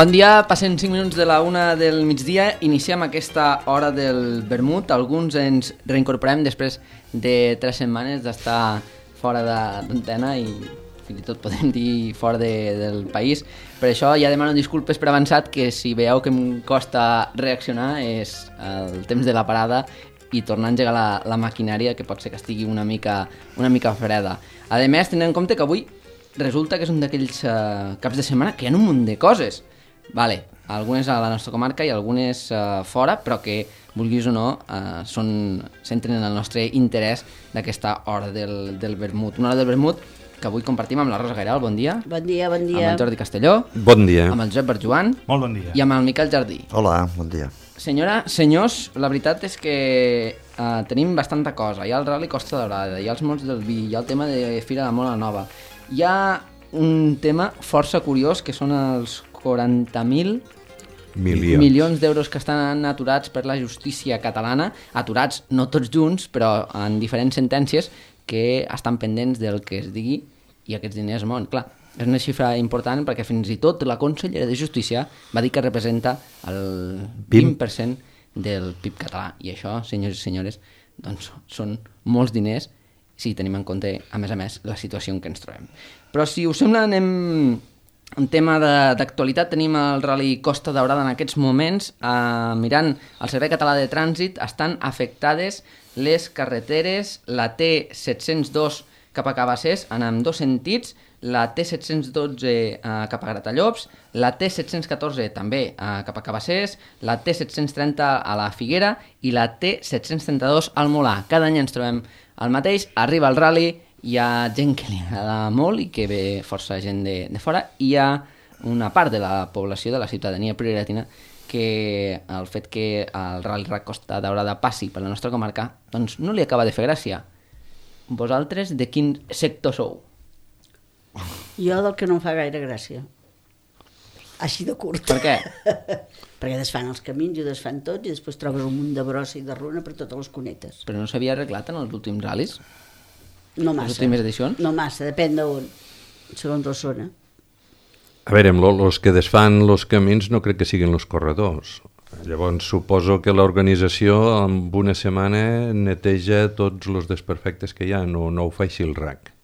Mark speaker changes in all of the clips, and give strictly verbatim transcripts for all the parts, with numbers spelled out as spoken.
Speaker 1: Bon dia, passen cinc minuts de la una del migdia, iniciem aquesta hora del vermut. Alguns ens reincorporem després de tres setmanes d'estar fora d'antena i fins i tot podem dir fora de, del país. Per això ja demano disculpes per avançat, que si veieu que em costa reaccionar és el temps de la parada i tornar a engegar la, la maquinària, que pot ser que estigui una mica, una mica freda. A més, tenint en compte que avui resulta que és un d'aquells uh, caps de setmana que hi ha un munt de coses. Vale, algunes a la nostra comarca i algunes uh, fora, però que, vulguis o no, uh, són, centren en el nostre interès d'aquesta hora del, del vermut. Una hora del vermut que avui compartim amb la Rosa Gairal, bon dia.
Speaker 2: Bon dia, bon dia.
Speaker 1: Amb el Jordi Castelló.
Speaker 3: Bon dia.
Speaker 1: Amb el Josep Barjuan.
Speaker 4: Molt bon dia.
Speaker 1: I amb el Miquel Jardí.
Speaker 5: Hola, bon dia.
Speaker 1: Senyora, senyors, la veritat és que uh, tenim bastanta cosa. Hi ha el Rally Costa Daurada, hi ha els mots del vi, hi ha el tema de Fira de Mola Nova. Hi ha un tema força curiós, que són els quaranta mil
Speaker 3: milions,
Speaker 1: milions d'euros que estan aturats per la justícia catalana, aturats no tots junts, però en diferents sentències que estan pendents del que es digui i aquests diners mouen. Clar, és una xifra important perquè fins i tot la consellera de Justícia va dir que representa el vint per cent del P I B català. I això, senyors i senyores, doncs són molts diners si tenim en compte, a més a més, la situació en què ens trobem. Però si us sembla, anem... En tema d'actualitat, tenim el Rally Costa Daurada en aquests moments. Eh, mirant el Servei Català de Trànsit, estan afectades les carreteres, la T set-cents dos cap a Cabassers, en ambdós sentits, la T set-cents dotze eh, cap a Gratallops, la T set-cents catorze també eh, cap a Cabassers, la T set-cents trenta a la Figuera i la T set-cents trenta-dos al Molar. Cada any ens trobem el mateix, arriba el Rally, hi ha gent que li agrada molt i que ve força gent de, de fora, i hi ha una part de la població, de la ciutadania prioratina, que el fet que el Rally Costa Daurada passi per la nostra comarca doncs no li acaba de fer gràcia. Vosaltres de quin sector sou?
Speaker 2: Jo del que no em fa gaire gràcia. Així de curt.
Speaker 1: Per què?
Speaker 2: Perquè desfan els camins i desfan tots i després trobes un munt de brossa i de runa per totes les cunetes.
Speaker 1: Però no s'havia arreglat en els últims ral·lis?
Speaker 2: No massa.
Speaker 1: Les últimes edicions?
Speaker 2: No massa, depèn d'on, segons la zona.
Speaker 3: A veure, els que desfan els camins no crec que siguin els corredors. Llavors suposo que l'organització en una setmana neteja tots els desperfectes que hi ha, no, no ho fa així el R A C.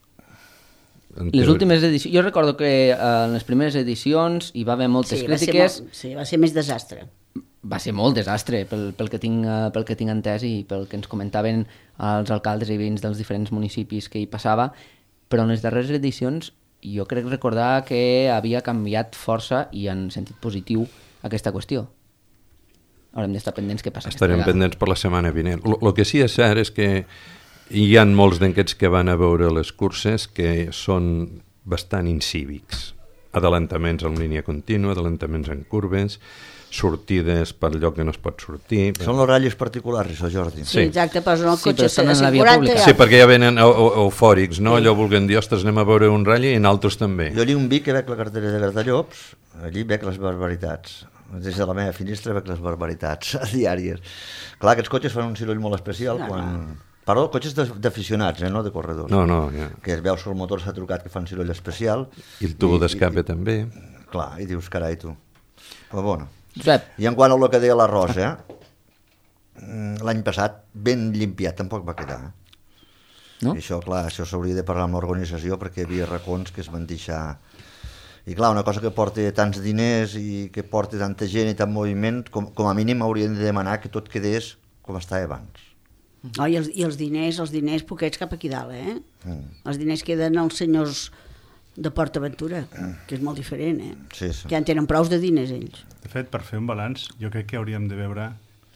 Speaker 3: En
Speaker 1: Les
Speaker 3: teoria...
Speaker 1: últimes edicions, jo recordo que eh, en les primeres edicions hi va haver moltes
Speaker 2: sí,
Speaker 1: crítiques.
Speaker 2: Va molt, sí, va ser més desastre.
Speaker 1: Va ser molt desastre pel, pel, que tinc, uh, pel que tinc entès i pel que ens comentaven els alcaldes i veïns dels diferents municipis que hi passava, però en les darreres edicions jo crec recordar que havia canviat força i en sentit positiu aquesta qüestió. Haurem d'estar pendents què passa aquesta
Speaker 3: Estarem
Speaker 1: vegada.
Speaker 3: pendents per la setmana vinent. El que sí és cert és que hi ha molts d'aquests que van a veure les curses que són bastant incívics. Adelantaments en línia contínua, adelantaments en curves, sortides per lloc que no es pot sortir.
Speaker 5: Són els ratllis particulars, això, Jordi.
Speaker 2: Sí, exacte, posen el
Speaker 1: Sí,
Speaker 2: cotxe
Speaker 1: però estan
Speaker 2: a
Speaker 1: en la
Speaker 2: cent
Speaker 1: via
Speaker 2: quaranta
Speaker 1: pública.
Speaker 2: i
Speaker 3: Sí, perquè ja venen eu eu eufòrics, no? Allò volguem dir, ostres, anem a veure un ratll i nosaltres també.
Speaker 5: Jo allí on vic que veig la cartera de Gratallops, allí veig les barbaritats. Des de la meva finestra veig les barbaritats diàries. Clar, aquests cotxes fan un soroll molt especial
Speaker 2: No,
Speaker 5: quan... Perdó, cotxes d'aficionats, eh, no de corredors.
Speaker 3: No, no, ja.
Speaker 5: Que es veus que el motor s'ha trucat, que fan soroll especial.
Speaker 3: I el tubo d'escape també.
Speaker 5: Clar, i dius, carai, tu. Però bueno.
Speaker 1: Josep,
Speaker 5: I en quant a el que deia la Rosa, l'any passat ben limpiat tampoc va quedar.
Speaker 1: no?
Speaker 5: I això, clar, això s'hauria de parlar amb l'organització perquè hi havia racons que es van deixar... I clar, una cosa que porta tants diners i que porta tanta gent i tant moviment, com, com a mínim haurien de demanar que tot quedés com estava abans.
Speaker 2: Oh, i, els, I els diners, els diners poquets cap aquí dalt, eh?
Speaker 5: Mm.
Speaker 2: Els diners queden als senyors de PortAventura, que és molt diferent, eh?
Speaker 5: Sí, sí.
Speaker 2: Que ja en tenen prous de diners, ells.
Speaker 4: De fet, per fer un balanç, jo crec que hauríem de veure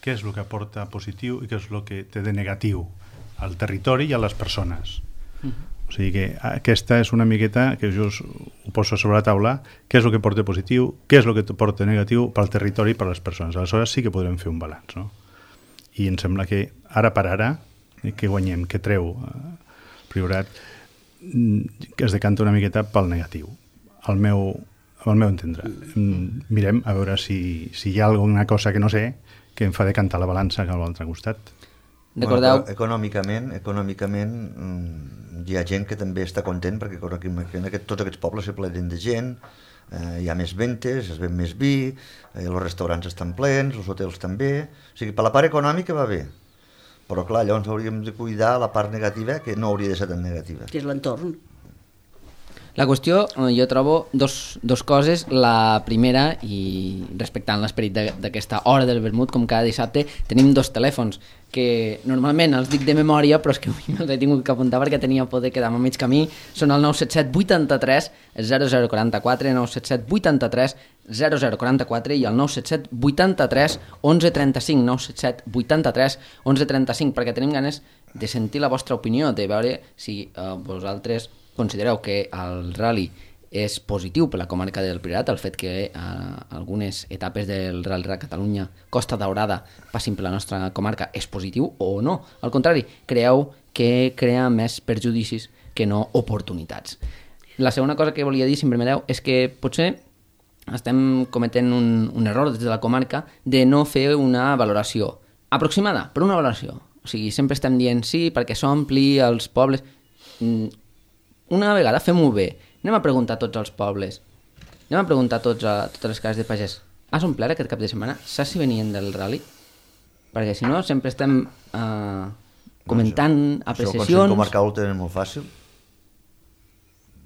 Speaker 4: què és el que aporta positiu i què és el que té de negatiu al territori i a les persones. Uh-huh. O sigui que aquesta és una miqueta que jo us, ho poso sobre la taula, què és el que porta positiu, què és el que porta negatiu pel territori i per les persones. Aleshores sí que podrem fer un balanç, no? I em sembla que ara per ara, eh, que guanyem, que treu eh, Priorat, que es decanta una miqueta pel negatiu, al meu, al meu entendre. Mirem a veure si, si hi ha alguna cosa que no sé que em fa decantar la balança cap a l'altre costat.
Speaker 1: Recordeu...
Speaker 5: Bueno, econòmicament, econòmicament hi ha gent que també està content perquè en aquest, tots aquests pobles se plenen de gent, eh, hi ha més ventes, es ven més vi, eh, els restaurants estan plens, els hotels també, o sigui, per la part econòmica va bé, però clar, llavors hauríem de cuidar la part negativa, que no hauria de ser tan negativa.
Speaker 2: Que és l'entorn.
Speaker 1: La qüestió, jo trobo dos, dos coses. La primera, i respectant l'esperit d'aquesta hora del vermut, com cada dissabte, tenim dos telèfons que normalment els dic de memòria, però és que avui me'ls he tingut que apuntar perquè tenia por de quedar-me a mig camí. Són el nou set set vuitanta-tres zero zero quaranta-quatre, nou set set vuitanta-tres zero zero quaranta-quatre i el nou set set vuitanta-tres onze trenta-cinc, nou set set vuitanta-tres onze trenta-cinc, perquè tenim ganes de sentir la vostra opinió, de veure si eh, vosaltres considereu que el rally és positiu per la comarca del Priorat, el fet que eh, algunes etapes del Rally Raid Catalunya Costa Daurada passin per la nostra comarca és positiu o no. Al contrari, creieu que crea més perjudicis que no oportunitats. La segona cosa que volia dir, si em permeteu, és que potser estem cometent un, un error des de la comarca de no fer una valoració aproximada, però una valoració. O sigui, sempre estem dient sí perquè s'ompli els pobles. Una vegada fem-ho bé. Anem a preguntar a tots els pobles. Anem a preguntar a, tots a totes les cases de pagès. Has omplert aquest cap de setmana? Saps si venien del rally? Perquè si no, sempre estem uh, comentant
Speaker 5: no,
Speaker 1: apreciacions...
Speaker 5: Això el Consell Comarcal ho tenen molt fàcil.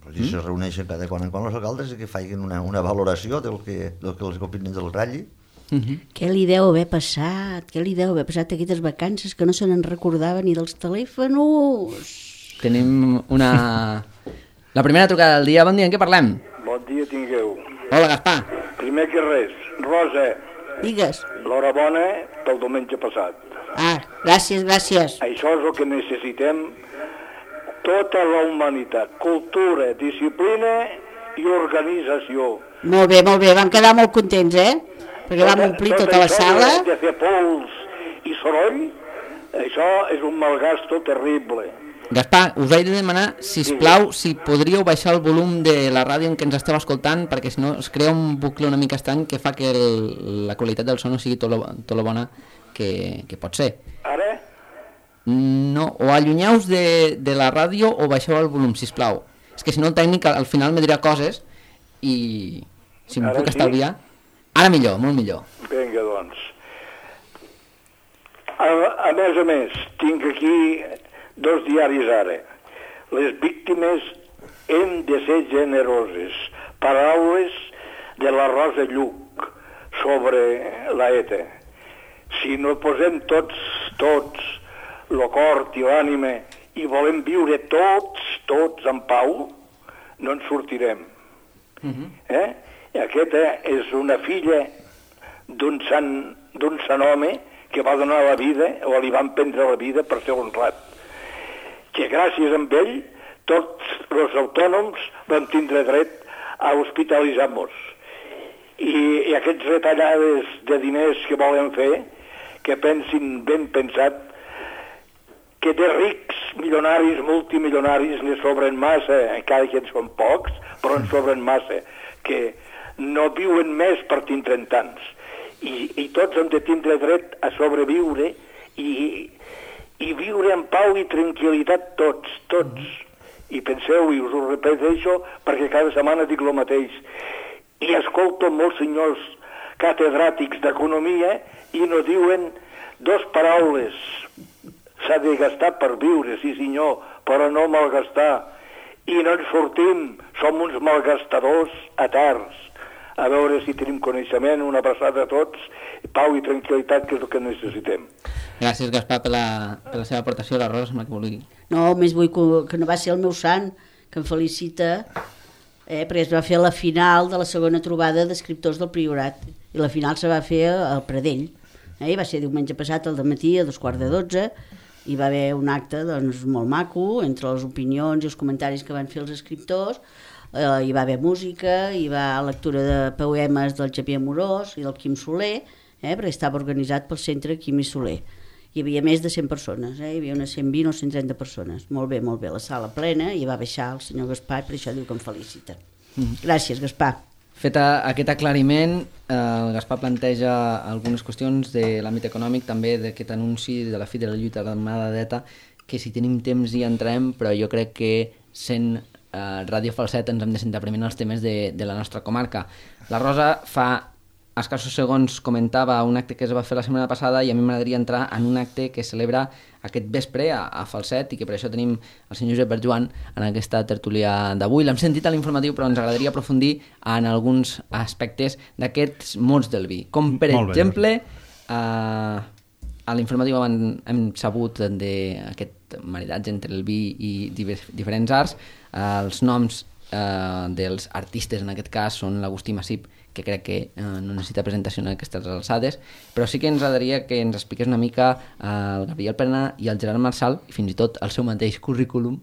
Speaker 5: Mm? Se reuneixen cada quan en quan els alcaldes i que facin una, una valoració del que, del que els opinen del rally.
Speaker 2: Uh-huh. Què li deu haver passat? Què li deu haver passat aquestes vacances que no se n'en recordava ni dels telèfons?
Speaker 1: Tenim una... La primera trucada del dia. Bon dia, en què parlem?
Speaker 6: Bon dia tingueu.
Speaker 1: Hola, Gaspar.
Speaker 6: Primer que res, Rosa,
Speaker 2: Digues.
Speaker 6: l'horabona pel diumenge passat.
Speaker 2: Ah, gràcies, gràcies.
Speaker 6: Això és el que necessitem tota la humanitat. Cultura, disciplina i organització.
Speaker 2: Molt bé, molt bé. Vam quedar molt contents, eh? Perquè vam omplir tota la sala.
Speaker 6: Tot això de fer pols i soroll, això és un malgasto terrible.
Speaker 1: Gaspar, us vaig de demanar, sisplau, si podríeu baixar el volum de la ràdio en què ens esteu escoltant, perquè si no es crea un bucle una mica estrany que fa que el, la qualitat del so no sigui tot lo, tot lo bona que, que pot ser.
Speaker 6: Ara?
Speaker 1: No, o allunyeu-vos de, de la ràdio o baixeu el volum, sisplau. És que si no el tècnic al final me dirà coses i si m'ho puc
Speaker 6: sí?
Speaker 1: estalviar... Ara millor, molt millor.
Speaker 6: Vinga, doncs. A, a més a més, tinc aquí dos diaris ara. Les víctimes hem de ser generoses. Paraules de la Rosa Lluc sobre la E T A. Si no posem tots, tots, lo cor i l'ànima i volem viure tots, tots en pau, no ens sortirem. Uh-huh. Eh? I aquesta és una filla d'un sant, d'un sant home que va donar la vida, o li van prendre la vida per ser honrat. Que gràcies a ell tots els autònoms vam tindre dret a hospitalitzar-nos. I, i aquests retallades de diners que volen fer, que pensin ben pensat, que de rics, milionaris, multimilionaris, ne sobren massa, encara que en són pocs, però en sobren massa, que no viuen més per tindre tants. I, i tots hem de tindre dret a sobreviure i... i viure en pau i tranquil·litat tots, tots. I penseu, i us ho repeteixo, perquè cada setmana dic el mateix. I escolto molts senyors catedràtics d'economia i no diuen dos paraules. S'ha de gastar per viure, sí senyor, però no malgastar. I no ens sortim, som uns malgastadors eterns. A veure si tenim coneixement, una abraçada a tots, pau i tranquil·litat, que és el que necessitem.
Speaker 1: Gràcies, Gaspar, per la, per la seva aportació, la Rosa, sembla que vulgui.
Speaker 2: No, més vull que, que no va ser el meu sant, que em felicita, eh, perquè es va fer la final de la segona trobada d'escriptors del Priorat, i la final se va fer al Pradell. Eh, va ser diumenge passat al dematí, a dos quarts de dotze, hi va haver un acte doncs, molt maco, entre les opinions i els comentaris que van fer els escriptors. Eh, hi va haver música, hi va lectura de poemes del Xavier Amorós i del Quim Soler, eh, perquè estava organitzat pel centre Quim i Soler. Hi havia més de cent persones, eh? Hi havia unes cent vint o cent trenta persones. Molt bé, molt bé, la sala plena, i va baixar el senyor Gaspar, per això diu que em felicita. Mm. Gràcies, Gaspar.
Speaker 1: Fet aquest aclariment, eh, el Gaspar planteja algunes qüestions de l'àmbit econòmic, també d'aquest anunci de la fi de la lluita armada d'E T A, que si tenim temps hi entrem, però jo crec que sent eh, Ràdio Falset ens hem de centrar primer en els temes de, de la nostra comarca. La Rosa fa escassos segons comentava un acte que es va fer la setmana passada i a mi m'agradaria entrar en un acte que celebra aquest vespre a, a Falset i que per això tenim el senyor Josep Berjoan en aquesta tertúlia d'avui. L'hem sentit a l'informatiu però ens agradaria aprofundir en alguns aspectes d'aquests mots del vi. Com per
Speaker 4: Molt
Speaker 1: exemple, eh, a l'informatiu hem, hem sabut d'aquest maridatge entre el vi i divers, diferents arts. Eh, els noms eh, dels artistes en aquest cas són l'Agustí Massip, que crec que eh, no necessita presentació en aquestes alçades, però sí que ens agradaria que ens expliqués una mica eh, el Gabriel Pena i el Gerard Marçal, i fins i tot el seu mateix currículum,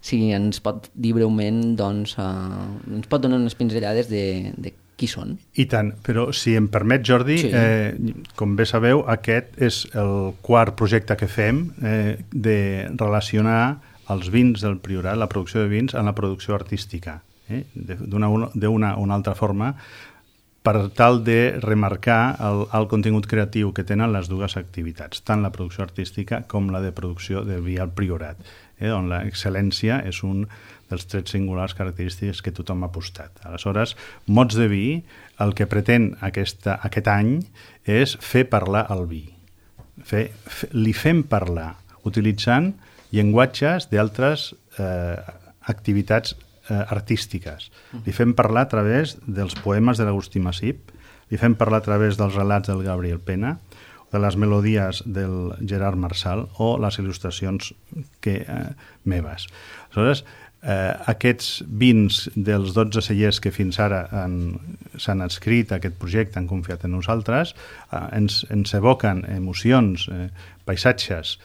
Speaker 1: si ens pot dir breument, doncs, eh, ens pot donar unes pinzellades de, de qui són.
Speaker 4: I tant, però si em permet, Jordi, sí. eh, com bé sabeu, aquest és el quart projecte que fem eh, de relacionar els vins del Priorat, la producció de vins, amb la producció artística, eh, d'una una, una altra forma, per tal de remarcar el, el contingut creatiu que tenen les dues activitats, tant la producció artística com la de producció de vi al Priorat, eh, on l'excel·lència és un dels trets singulars característics que tothom ha apostat. Aleshores, Mots de vi, el que pretén aquesta, aquest any és fer parlar el vi. Fer, fer, li fem parlar, utilitzant llenguatges d'altres eh, activitats artístiques. Li fem parlar a través dels poemes de l'Agustí Massip, li fem parlar a través dels relats del Gabriel Pena, de les melodies del Gerard Marçal o les il·lustracions que, eh, meves. Aleshores, eh, aquests vins dels dotze cellers que fins ara s'han adscrit a aquest projecte, han confiat en nosaltres, eh, ens, ens evoquen emocions, eh, paisatges,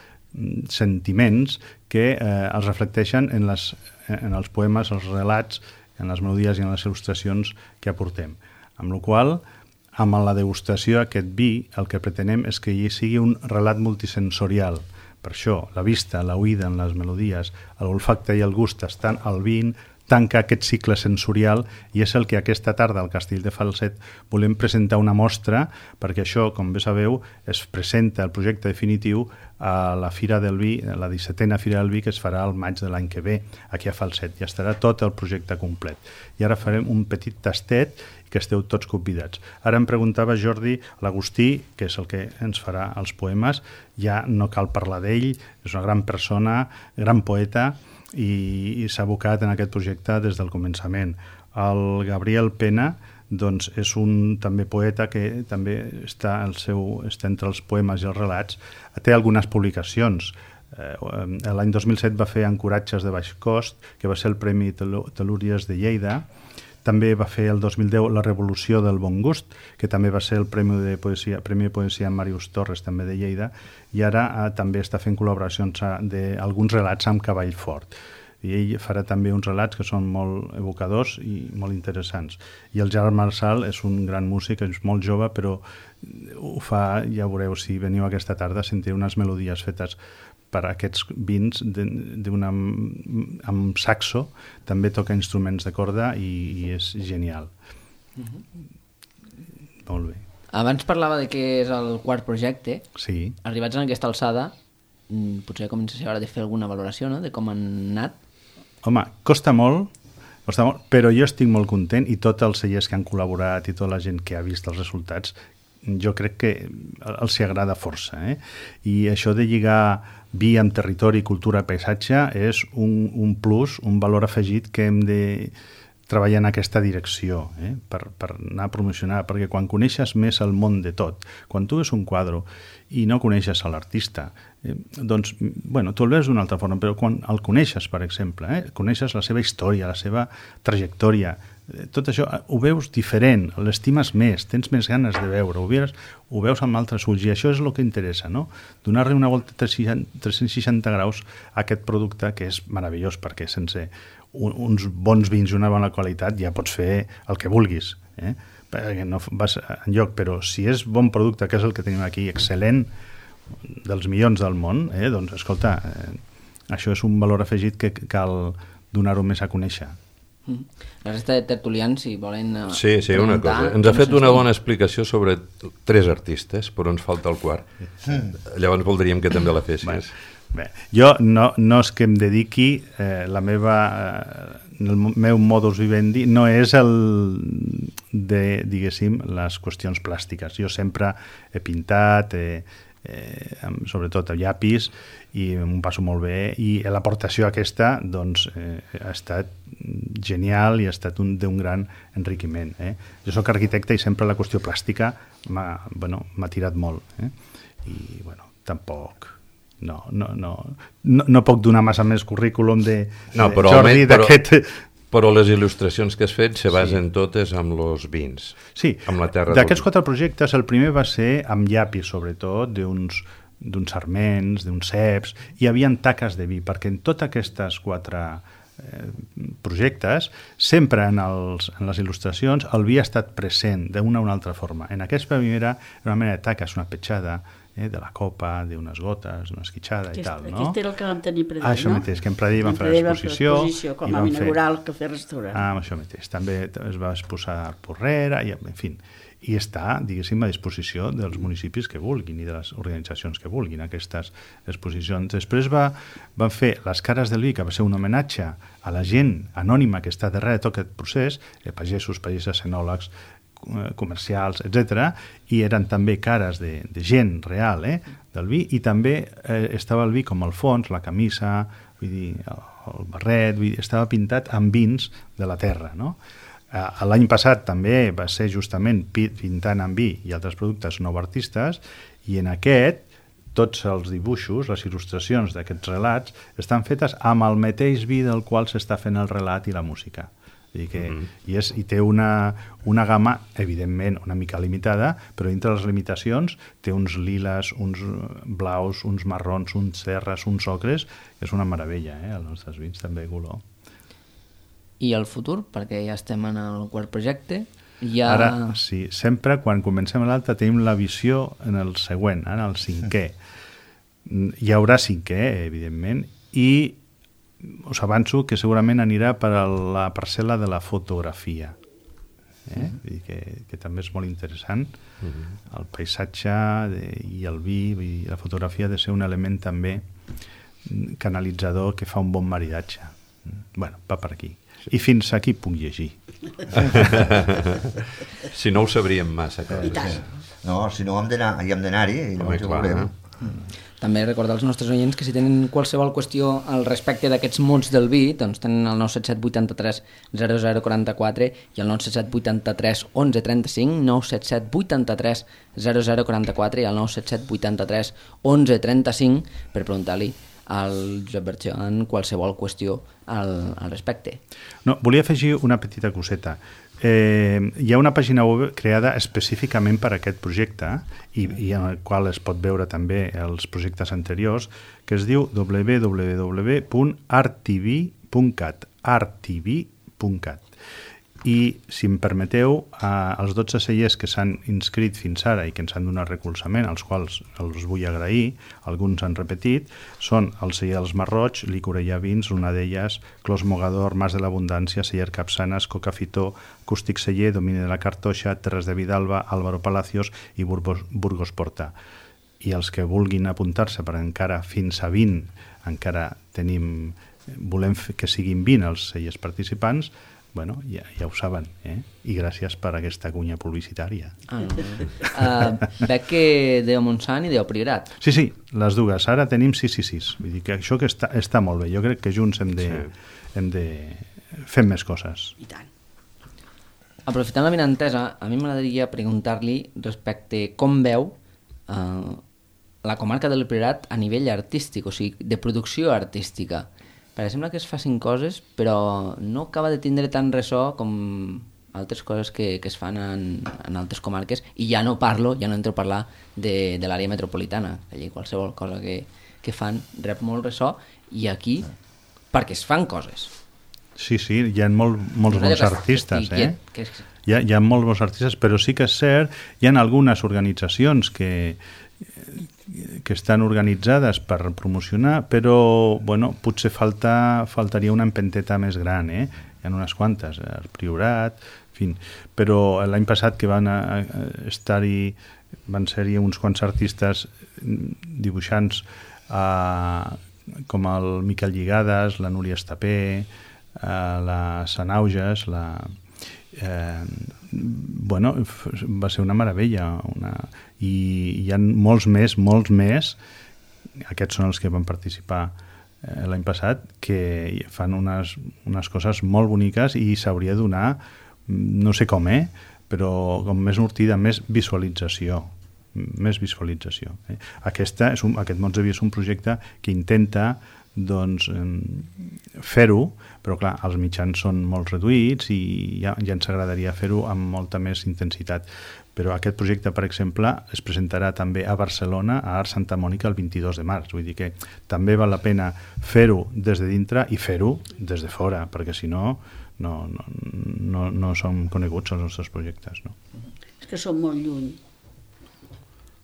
Speaker 4: sentiments que eh, els reflecteixen en, les, en els poemes, els relats, en les melodies i en les il·lustracions que aportem. Amb la qual cosa, amb la degustació d'aquest vi, el que pretenem és que hi sigui un relat multisensorial. Per això, la vista, l'oïda en les melodies, l'olfacte i el gust estan al vin, tanca aquest cicle sensorial i és el que aquesta tarda al Castell de Falset volem presentar una mostra, perquè això, com bé sabeu, es presenta el projecte definitiu a la Fira del Vi, la dissetena Fira del Vi, que es farà al maig de l'any que ve, aquí a Falset. Ja estarà tot el projecte complet. I ara farem un petit tastet i que esteu tots convidats. Ara em preguntava Jordi, l'Agustí, que és el que ens farà els poemes, ja no cal parlar d'ell, és una gran persona, gran poeta, i, i s'ha abocat en aquest projecte des del començament. El Gabriel Pena doncs, és un també poeta que també està, el seu, està entre els poemes i els relats. Té algunes publicacions. Eh, L'any dos mil set va fer Ancoratges de baix cost, que va ser el Premi Telúries de Lleida. També va fer el dos mil deu La Revolució del Bon Gust, que també va ser el Premi de Poesia, Premi de Poesia Màrius Torres, també de Lleida, i ara eh, també està fent col·laboracions d'alguns relats amb Cavall Fort. I ell farà també uns relats que són molt evocadors i molt interessants. I el Gerard Marçal és un gran músic, és molt jove, però ho fa, ja veureu, si veniu aquesta tarda, sentireu unes melodies fetes per aquests vins d'una, amb saxo, també toca instruments de corda i, i és genial. Mm-hmm. Molt bé.
Speaker 1: Abans parlava de que és el quart projecte.
Speaker 4: Sí.
Speaker 1: Arribats en aquesta alçada, potser comença a ser hora de fer alguna valoració, no?, de com han anat.
Speaker 4: Home, costa molt, costa molt, però jo estic molt content i tots els cellers que han col·laborat i tota la gent que ha vist els resultats, jo crec que els hi agrada força. Eh? I això de lligar vi amb territori, cultura, paisatge és un, un plus, un valor afegit que hem de treballar en aquesta direcció, eh? per, per anar a promocionar, perquè quan coneixes més el món de tot, quan tu veus un quadre i no coneixes a l'artista, eh, doncs, bueno, tu el veus d'una altra forma, però quan el coneixes, per exemple, eh, coneixes la seva història, la seva trajectòria, eh, tot això ho veus diferent, l'estimes més, tens més ganes de veure, ho veus, ho veus amb altres ulls, i això és el que interessa, no? Donar-li una volta tres-cents seixanta graus a aquest producte, que és meravellós, perquè sense uns bons vins i una bona qualitat ja pots fer el que vulguis, eh? Perquè no vas enlloc, però si és bon producte, que és el que tenim aquí, excel·lent, dels milions del món, eh? Doncs escolta, eh, això és un valor afegit que cal donar-ho més a conèixer.
Speaker 1: La resta de tertulians, si volen uh,
Speaker 3: sí, sí, una cosa. Ens ha fet una bona explicació sobre tres artistes, però ens falta el quart. Mm. Llavors voldríem que també la fessis.
Speaker 4: Bueno, Bé, jo no, no és que em dediqui, eh, la meva, eh, el meu modus vivendi no és el de, diguéssim, les qüestions plàstiques. Jo sempre he pintat, eh, eh, sobretot a llapis, i m'ho passo molt bé, i l'aportació aquesta doncs, eh, ha estat genial i ha estat un, d'un gran enriquiment. Eh? Jo soc arquitecte i sempre la qüestió plàstica m'ha bueno, m'ha tirat molt. Eh? I, bueno, tampoc... No, no, no, no, no puc donar massa més currículum de,
Speaker 3: no,
Speaker 4: de
Speaker 3: però,
Speaker 4: Jordi d'aquest...
Speaker 3: Però les il·lustracions que has fet se basen sí. totes amb els vins,
Speaker 4: sí.
Speaker 3: amb la terra.
Speaker 4: D'aquests quatre projectes, el primer va ser amb llapis, sobretot, d'uns d'uns sarments, d'uns ceps, i hi havia taques de vi, perquè en totes aquestes quatre eh, projectes, sempre en, els, en les il·lustracions, el vi ha estat present d'una o una altra forma. En aquesta primera, era una mena de taques, una petjada, eh, de la copa, d'unes gotes, d'una esquitxada i tal, no?
Speaker 2: Aquest era el que vam tenir Pradell,
Speaker 4: ah, això
Speaker 2: no?
Speaker 4: mateix, que en Pradell vam fer l'exposició.
Speaker 2: Com a inaugural cafè-restaurant.
Speaker 4: Ah, això mateix. També es va exposar a Porrera, i, en fi, i està, diguéssim, a disposició dels municipis que vulguin i de les organitzacions que vulguin aquestes exposicions. Després va, van fer les cares del vi, que va ser un homenatge a la gent anònima que està darrere de tot aquest procés, eh, pagesos, pageses, enòlegs, comercials, etcètera, i eren també cares de, de gent real, eh, del vi, i també eh, estava el vi com el fons, la camisa, vull dir, el, el barret, vull dir, estava pintat amb vins de la terra, no? Eh, l'any passat també va ser justament pintant amb vi i altres productes nouartistes, i en aquest tots els dibuixos, les il·lustracions d'aquests relats estan fetes amb el mateix vi del qual s'està fent el relat i la música. I, que, mm-hmm. i, és, i té una, una gamma, evidentment, una mica limitada, però dintre les limitacions té uns liles, uns blaus, uns marrons, uns terres, uns ocres, que és una meravella, eh? Els nostres vins també, color.
Speaker 1: I el futur? Perquè ja estem en el quart projecte. Ja...
Speaker 4: Ara, sí, sempre quan comencem l'altre tenim la visió en el següent, en el cinquè. Hi haurà cinquè, evidentment, i us avanço que segurament anirà per a la parcel·la de la fotografia, eh? Mm-hmm. I que, que també és molt interessant. Mm-hmm. El paisatge de, i el vi i la fotografia ha de ser un element també canalitzador que fa un bon maridatge. Bueno, va per aquí. I fins aquí puc llegir.
Speaker 3: Si no ho sabríem massa coses.
Speaker 5: No, si no hem d'anar-hi i llavors ho veurem.
Speaker 1: També recordar als nostres oients que si tenen qualsevol qüestió al respecte d'aquests mots del vi, doncs tenen el nou set set vuit tres zero zero quatre quatre i el nou set set vuit tres onze trenta cinc, nou set set vuit tres zero zero quatre quatre i el nou set set vuit tres onze trenta cinc per preguntar-li al Josep Bertran qualsevol qüestió al, al respecte.
Speaker 4: No, volia afegir una petita coseta. Eh, hi ha una pàgina web creada específicament per a aquest projecte i, i en el qual es pot veure també els projectes anteriors, que es diu w w w punt art t v punt cat art t v punt cat. I, si em permeteu, eh, els dotze cellers que s'han inscrit fins ara i que ens han donat recolzament, als quals els vull agrair, alguns han repetit, són el celler dels Marroig, Licorella Vins, una d'elles, Clos Mogador, Mas de l'Abundància, Celler Capçanes, Coca Fitó, Acústic Celler, Domini de la Cartoixa, Terres de Vidalba, Álvaro Palacios i Burgos, Burgos Porta. I els que vulguin apuntar-se, per encara fins a vint, encara tenim, volem que siguin vint els cellers participants, bueno, ja, ja ho saben, eh? I gràcies per aquesta cunya publicitària.
Speaker 1: Ah, uh, veig que Déu Montsant i Déu Priorat.
Speaker 4: Sí, sí, les dues. Ara tenim sis i sis. Vull dir que això que està, està molt bé. Jo crec que junts hem de, sí. hem de fer més coses.
Speaker 2: I tant.
Speaker 1: Aprofitant la vinentesa, a mi m'agradaria preguntar-li respecte com veu uh, la comarca del Priorat a nivell artístic, o sigui, de producció artística. Perquè sembla que es facin coses, però no acaba de tindre tant ressò com altres coses que, que es fan en, en altres comarques, i ja no parlo, ja no entro a parlar de, de l'àrea metropolitana. Allí qualsevol cosa que, que fan rep molt ressò, i aquí, perquè es fan coses.
Speaker 4: Sí, sí, hi ha molt, molts bons artistes, eh?
Speaker 1: Que és...
Speaker 4: hi, ha, hi ha molts bons artistes, però sí que és cert, hi ha algunes organitzacions que que estan organitzades per promocionar, però bueno, potser falta, faltaria una empenteta més gran, eh? Hi ha unes quantes, el Priorat, en fi, però l'any passat que van estar-hi, van ser-hi uns quants artistes dibuixants uh, com el Miquel Lligades, la Núria Estapé, uh, la Sanauges, la... Eh, bueno, va ser una meravella una... I hi ha molts més, molts més, aquests són els que van participar eh, l'any passat, que fan unes, unes coses molt boniques i s'hauria de donar, no sé com, eh, però com més sortida, més visualització més visualització. Eh? Aquesta és un, aquest Mots de Via és un projecte que intenta doncs, fer-ho, però clar, els mitjans són molt reduïts i ja, ja ens agradaria fer-ho amb molta més intensitat. Però aquest projecte, per exemple, es presentarà també a Barcelona, a Art Santa Mònica, el vint-i-dos de març. Vull dir que també val la pena fer-ho des de dintre i fer-ho des de fora, perquè si no, no, no, no, no som coneguts els nostres projectes. No?
Speaker 2: És que som molt lluny.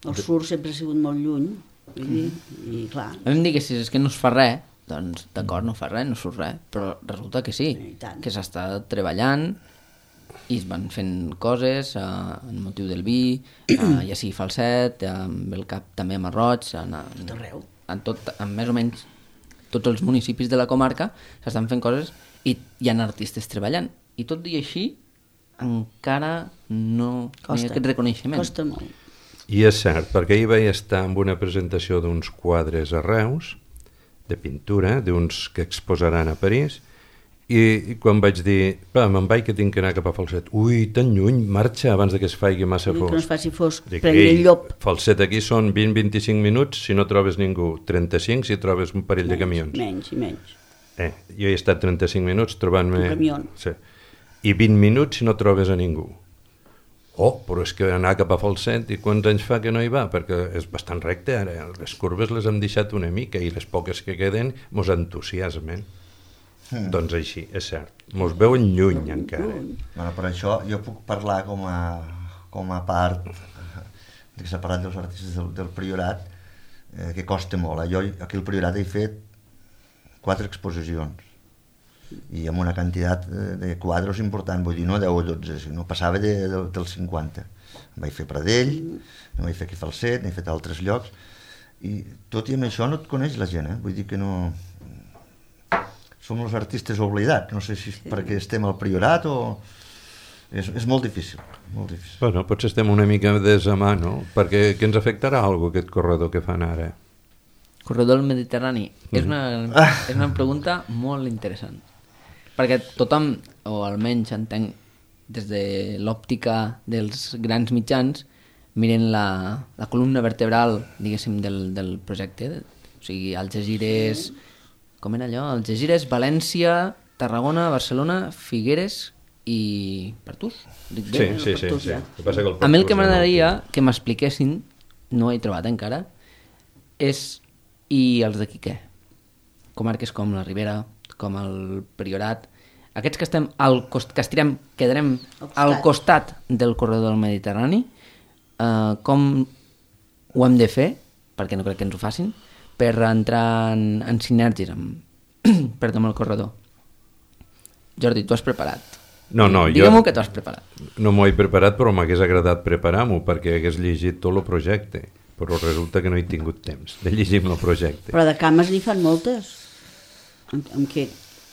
Speaker 2: El sur sempre ha sigut molt lluny, vull dir, i clar...
Speaker 1: Hem dit que si és que no es fa res, doncs d'acord, no fa res, no surt res, però resulta que sí, que s'està treballant i es van fent coses eh, en motiu del vi, eh, ja sigui Falset, eh, amb el cap també a Marroig, en, en, en, tot, en més o menys tots els municipis de la comarca s'estan fent coses i hi ha artistes treballant, i tot i així encara no hi ha aquest reconeixement.
Speaker 2: Costa molt.
Speaker 3: I és cert, perquè ahir vaig estar en una presentació d'uns quadres a Reus, de pintura, d'uns que exposaran a París, i, i quan vaig dir, va, me'n vaig que tinc que anar cap a Falset, ui, tan lluny, marxa abans de que es faci massa fosc.
Speaker 2: Que no es faci fosc, prengui el llop.
Speaker 3: Falset aquí són vint a vint-i-cinc minuts, si no trobes ningú, trenta-cinc si trobes un parell
Speaker 2: menys,
Speaker 3: de camions.
Speaker 2: Menys i menys.
Speaker 3: Eh, jo he estat trenta-cinc minuts trobant-me...
Speaker 2: Un camió.
Speaker 3: Sí. I vint minuts si no trobes a ningú. Oh, però és que anar cap a Falset, i quants anys fa que no hi va? Perquè és bastant recte, ara. Les curves les hem deixat una mica i les poques que queden mos entusiasmen. Mm. Doncs així, és cert. Mos veuen lluny encara.
Speaker 5: Bueno, per això jo puc parlar com a, com a part que s'ha parlat dels artistes del, del Priorat, eh, que costa molt. Jo aquí al Priorat he fet quatre exposicions i amb una quantitat de quadres important, vull dir, no deu o dotze, no passava de, de, dels cinquanta. Em vaig fer Pradell, em vaig fer aquí Falset, n'he fet altres llocs, i tot i amb això no et coneix la gent, eh? Vull dir que no... Som els artistes oblidats, no sé si és perquè estem al Priorat o... És, és molt difícil, molt difícil.
Speaker 3: Bueno, potser estem una mica des a mà, no? Perquè que ens afectarà alguna aquest corredor que fan ara?
Speaker 1: Corredor del Mediterrani? Mm. És, una,
Speaker 5: ah.
Speaker 1: és una pregunta molt interessant. Perquè tothom, o almenys entenc des de l'òptica dels grans mitjans, miren la, la columna vertebral, diguéssim, del, del projecte. O sigui, Algesires... Com era allò? Algesires, València, Tarragona, Barcelona, Figueres i Pertús. Dic bé?
Speaker 3: Sí, sí, sí, sí. Que passa que el
Speaker 1: a mi el que
Speaker 3: Pertús
Speaker 1: m'agradaria
Speaker 3: no...
Speaker 1: que m'expliquessin, no ho he trobat encara, és i els d'aquí què? Comarques com la Ribera, com el Priorat, aquests que estem al cost, que estirem, quedarem al costat del corredor del Mediterrani, eh, com ho hem de fer, perquè no crec que ens ho facin, per entrar en, en sinergies amb, perdó, amb el corredor. Jordi, tu has preparat.
Speaker 3: No, no,
Speaker 1: Digue'm-ho
Speaker 3: jo
Speaker 1: que tu has preparat.
Speaker 3: No m'ho he preparat, però m'hagués agradat preparar-m'ho perquè hagués llegit tot el projecte, però resulta que no he tingut temps de llegir el projecte.
Speaker 2: Però de cames n'hi fan moltes. Amb, amb què?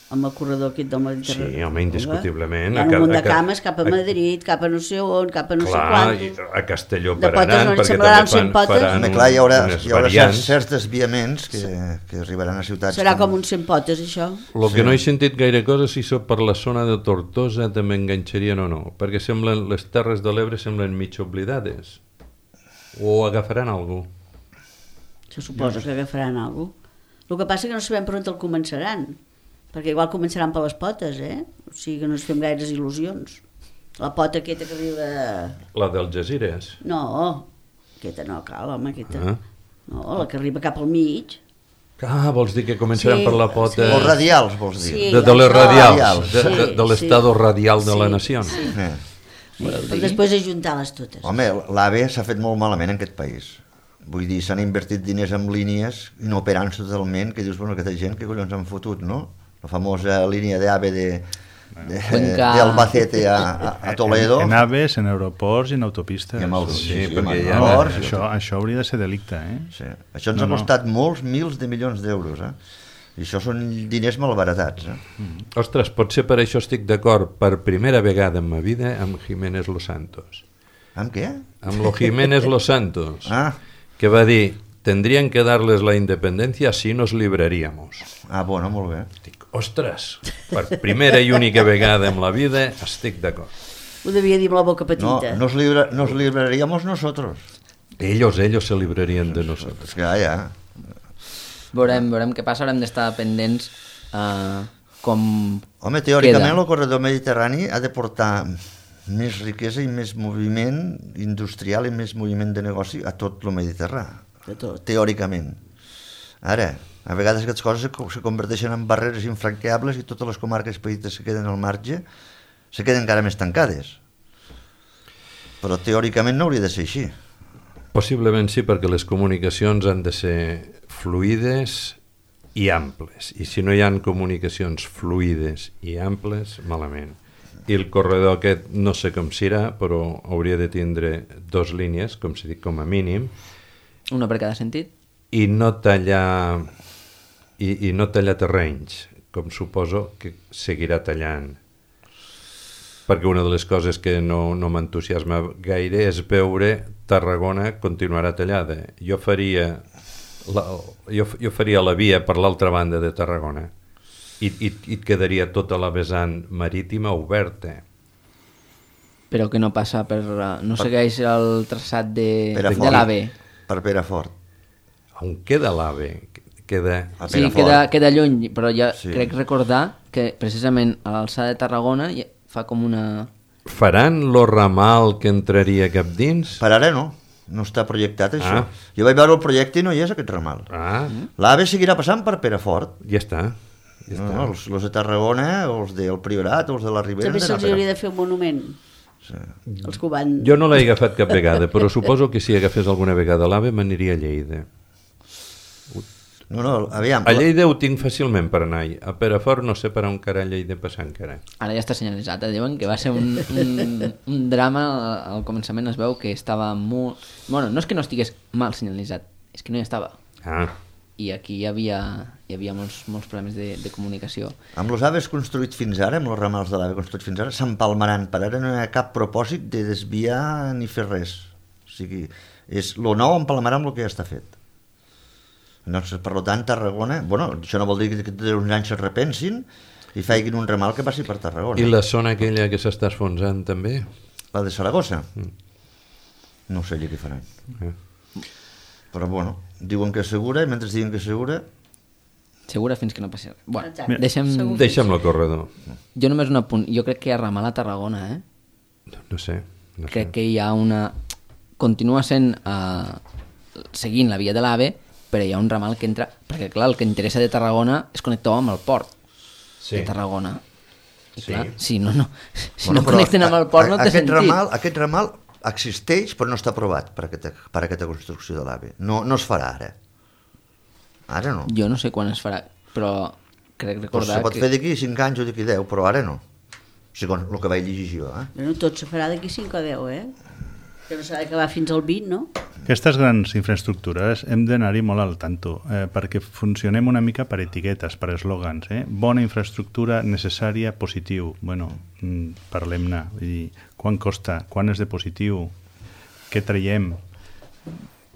Speaker 2: Amb el corredor aquest del Mediterrani.
Speaker 3: Sí, home, indiscutiblement.
Speaker 2: Hi ha un munt de cames cap a Madrid, cap a no sé on, cap a no
Speaker 3: clar,
Speaker 2: sé quant.
Speaker 3: A Castelló
Speaker 2: de
Speaker 3: per Aran, perquè també fan, faran
Speaker 5: un, clar, hi haurà,
Speaker 3: unes
Speaker 5: hi haurà
Speaker 3: variants.
Speaker 5: certs, certs desviaments que, que arribaran a ciutats.
Speaker 2: Serà com, com un cent potes, això?
Speaker 3: El que sí. No he sentit gaire cosa si so per la zona de Tortosa també enganxarien o no, perquè semblen, les Terres de l'Ebre semblen mig oblidades. O agafaran algú?
Speaker 2: Se suposa que agafaran algú. El que passa que no sabem per on el començaran, perquè igual començaran per les potes, eh? O sigui que no ens fem gaires il·lusions. La pota aquesta que arriba...
Speaker 3: La d'Algesires?
Speaker 2: No, aquesta no cal, home, aquesta. Ah. No, la que arriba cap al mig.
Speaker 3: Ah, vols dir que començaran
Speaker 2: sí,
Speaker 3: per la pota...
Speaker 5: Sí. Els radials, vols dir?
Speaker 2: Sí,
Speaker 3: de, de les radials,
Speaker 5: radials.
Speaker 3: de, de, de l'estado sí. radial de sí, la nació.
Speaker 2: Sí,
Speaker 5: eh.
Speaker 2: sí. sí. Després ajuntar-les totes.
Speaker 5: Home, l'A V E s'ha fet molt malament en aquest país. Vull dir, s'han invertit diners en línies inoperants totalment, que dius, bueno, aquesta gent, que collons han fotut, no? La famosa línia d'A V E de, de,
Speaker 1: Cuenca.
Speaker 5: de Albacete a, a, a Toledo.
Speaker 4: En, en aves, en aeroports i en autopistes.
Speaker 5: I amb els,
Speaker 3: Sí,
Speaker 5: sí, sí,
Speaker 3: perquè
Speaker 5: amb
Speaker 3: hi ha-
Speaker 5: morts, i
Speaker 4: Això,
Speaker 5: tot.
Speaker 4: això hauria de ser delicte, eh?
Speaker 5: Sí. Això ens
Speaker 4: No,
Speaker 5: ha
Speaker 4: no.
Speaker 5: costat molts mils de milions d'euros, eh? I això són diners malbaratats, eh?
Speaker 3: Ostres, potser per això estic d'acord per primera vegada en ma vida amb Jiménez Los Santos.
Speaker 5: Amb què?
Speaker 3: Amb lo Jiménez Los Santos,
Speaker 5: Ah,
Speaker 3: que va dir, tendrían que darles la independencia si nos libraríamos.
Speaker 5: ah, bueno, molt bé.
Speaker 3: Dic, ostres, per primera i única vegada en la vida estic d'acord.
Speaker 2: Ho devia dir amb la boca
Speaker 5: No,
Speaker 2: petita.
Speaker 5: nos, libra, nos libraríamos nosotros.
Speaker 3: Ellos, ellos se librarían de nosotros.
Speaker 5: Pues que ja, ja.
Speaker 1: Veurem, veurem què passa, haurem d'estar pendents uh, com
Speaker 5: Home, teòricament
Speaker 1: queda.
Speaker 5: el corredor mediterrani ha de portar més riquesa i més moviment industrial i més moviment de negoci a tot el Mediterrani.
Speaker 2: De tot.
Speaker 5: Teòricament. Ara, a vegades aquestes coses se, se converteixen en barreres infranqueables i totes les comarques petites que queden al marge se queden encara més tancades. Però teòricament no hauria de ser així.
Speaker 3: Possiblement sí, perquè les comunicacions han de ser fluides i amples. I si no hi ha comunicacions fluides i amples, malament. I el corredor aquest no sé com serà, però hauria de tindre dos línies, com si dic, com a mínim,
Speaker 1: una per cada sentit.
Speaker 3: i no tallar i, i no tallar terrenys, com suposo que seguirà tallant. Perquè una de les coses que no, no m'entusiasma gaire és veure Tarragona continuarà tallada. Jo faria la, jo, jo faria la via per l'altra banda de Tarragona i, i, i et quedaria tota la vessant marítima oberta.
Speaker 1: Però que no passa per... uh, no segueix el traçat de,
Speaker 5: Perafort.
Speaker 1: de l'AVE.
Speaker 5: Per Perafort.
Speaker 3: On queda l'AVE? Queda...
Speaker 5: A
Speaker 1: Sí,
Speaker 5: Perafort.
Speaker 1: queda, queda lluny, però ja
Speaker 5: Sí.
Speaker 1: sí. crec recordar que precisament a l'alçada de Tarragona ja fa com una...
Speaker 3: Faran lo ramal que entraria cap dins?
Speaker 5: Per ara no, no està projectat això.
Speaker 3: Ah.
Speaker 5: Jo vaig veure el projecte i no hi és aquest ramal.
Speaker 3: Ah,
Speaker 5: L'AVE seguirà passant per Perafort.
Speaker 3: ja està. Ja
Speaker 5: No,
Speaker 3: està.
Speaker 5: no, els, els de Tarragona, els del Priorat, els de la Ribera...
Speaker 2: També
Speaker 5: han d'anar
Speaker 2: se'ls
Speaker 5: a
Speaker 2: hauria de fer un monument.
Speaker 5: Sí.
Speaker 2: Els que ho van...
Speaker 3: Jo no l'he agafat cap vegada, però suposo que si agafés alguna vegada l'AVE m'aniria a Lleida.
Speaker 5: No, no, aviam.
Speaker 3: A Lleida ho tinc fàcilment per anar. A Perafort no sé per on carall he de passar encara.
Speaker 1: Ara ja està senyalitzat, eh? Diuen que va ser un, un, un drama, al començament es veu que estava molt... Bueno, no és que no estigués mal senyalitzat, és que no hi estava.
Speaker 3: Ah,
Speaker 1: I aquí hi havia, hi havia molts, molts problemes de, de comunicació.
Speaker 5: Amb els aves construïts fins ara, amb els ramals de l'ave construïts fins ara, s'empalmaran. Per ara no hi ha cap propòsit de desviar ni fer res. O sigui, és lo nou empalmarà amb el que ja està fet. Doncs, per tant, Tarragona... Bueno, això no vol dir que d'aquí uns anys es repensin i faiguin un ramal que passi per Tarragona.
Speaker 3: i la zona aquella que s'està esfonsant també?
Speaker 5: La de Saragossa? No sé allà què faran.
Speaker 3: Eh.
Speaker 5: Però, bueno, diuen que és segura i mentre diuen que és segura...
Speaker 1: Segura fins que no passi res. Bueno,
Speaker 2: Exacte.
Speaker 1: deixem...
Speaker 2: Segur.
Speaker 3: Deixa'm el corredor.
Speaker 1: Jo només un apunt. Jo crec que hi ha ramal a Tarragona, eh?
Speaker 3: No, no sé. No sé.
Speaker 1: Crec que hi ha una... Continua sent... Uh, seguint la via de l'AVE, però hi ha un ramal que entra... Perquè, clar, el que interessa de Tarragona és connectar amb el port
Speaker 3: Sí.
Speaker 1: de Tarragona. I,
Speaker 3: Sí.
Speaker 1: clar, si no, no, si
Speaker 5: Bueno,
Speaker 1: no
Speaker 5: però
Speaker 1: connecten amb el
Speaker 5: a-
Speaker 1: port
Speaker 5: a-
Speaker 1: no té
Speaker 5: aquest
Speaker 1: sentit.
Speaker 5: Ramal, aquest ramal existeix però no està aprovat per aquesta, per aquesta construcció de l'AVE. No, no es farà ara. Ara no.
Speaker 1: Jo no sé quan es farà, però crec
Speaker 5: Pues
Speaker 1: recordar
Speaker 5: se pot
Speaker 1: que...
Speaker 5: fer d'aquí cinc anys o d'aquí deu, però ara no. Segons el que vaig llegir jo. Eh?
Speaker 2: Bueno, tot se farà d'aquí cinc o deu, eh? Que no s'ha d'acabar fins al vint, no?
Speaker 4: Aquestes grans infraestructures hem d'anar-hi molt al tanto, eh, perquè funcionem una mica per etiquetes, per eslògans. Eh? Bona infraestructura, necessària, positiu. Bueno, mm, parlem-ne. Vull dir, quan costa? Quan és de positiu? Què traiem?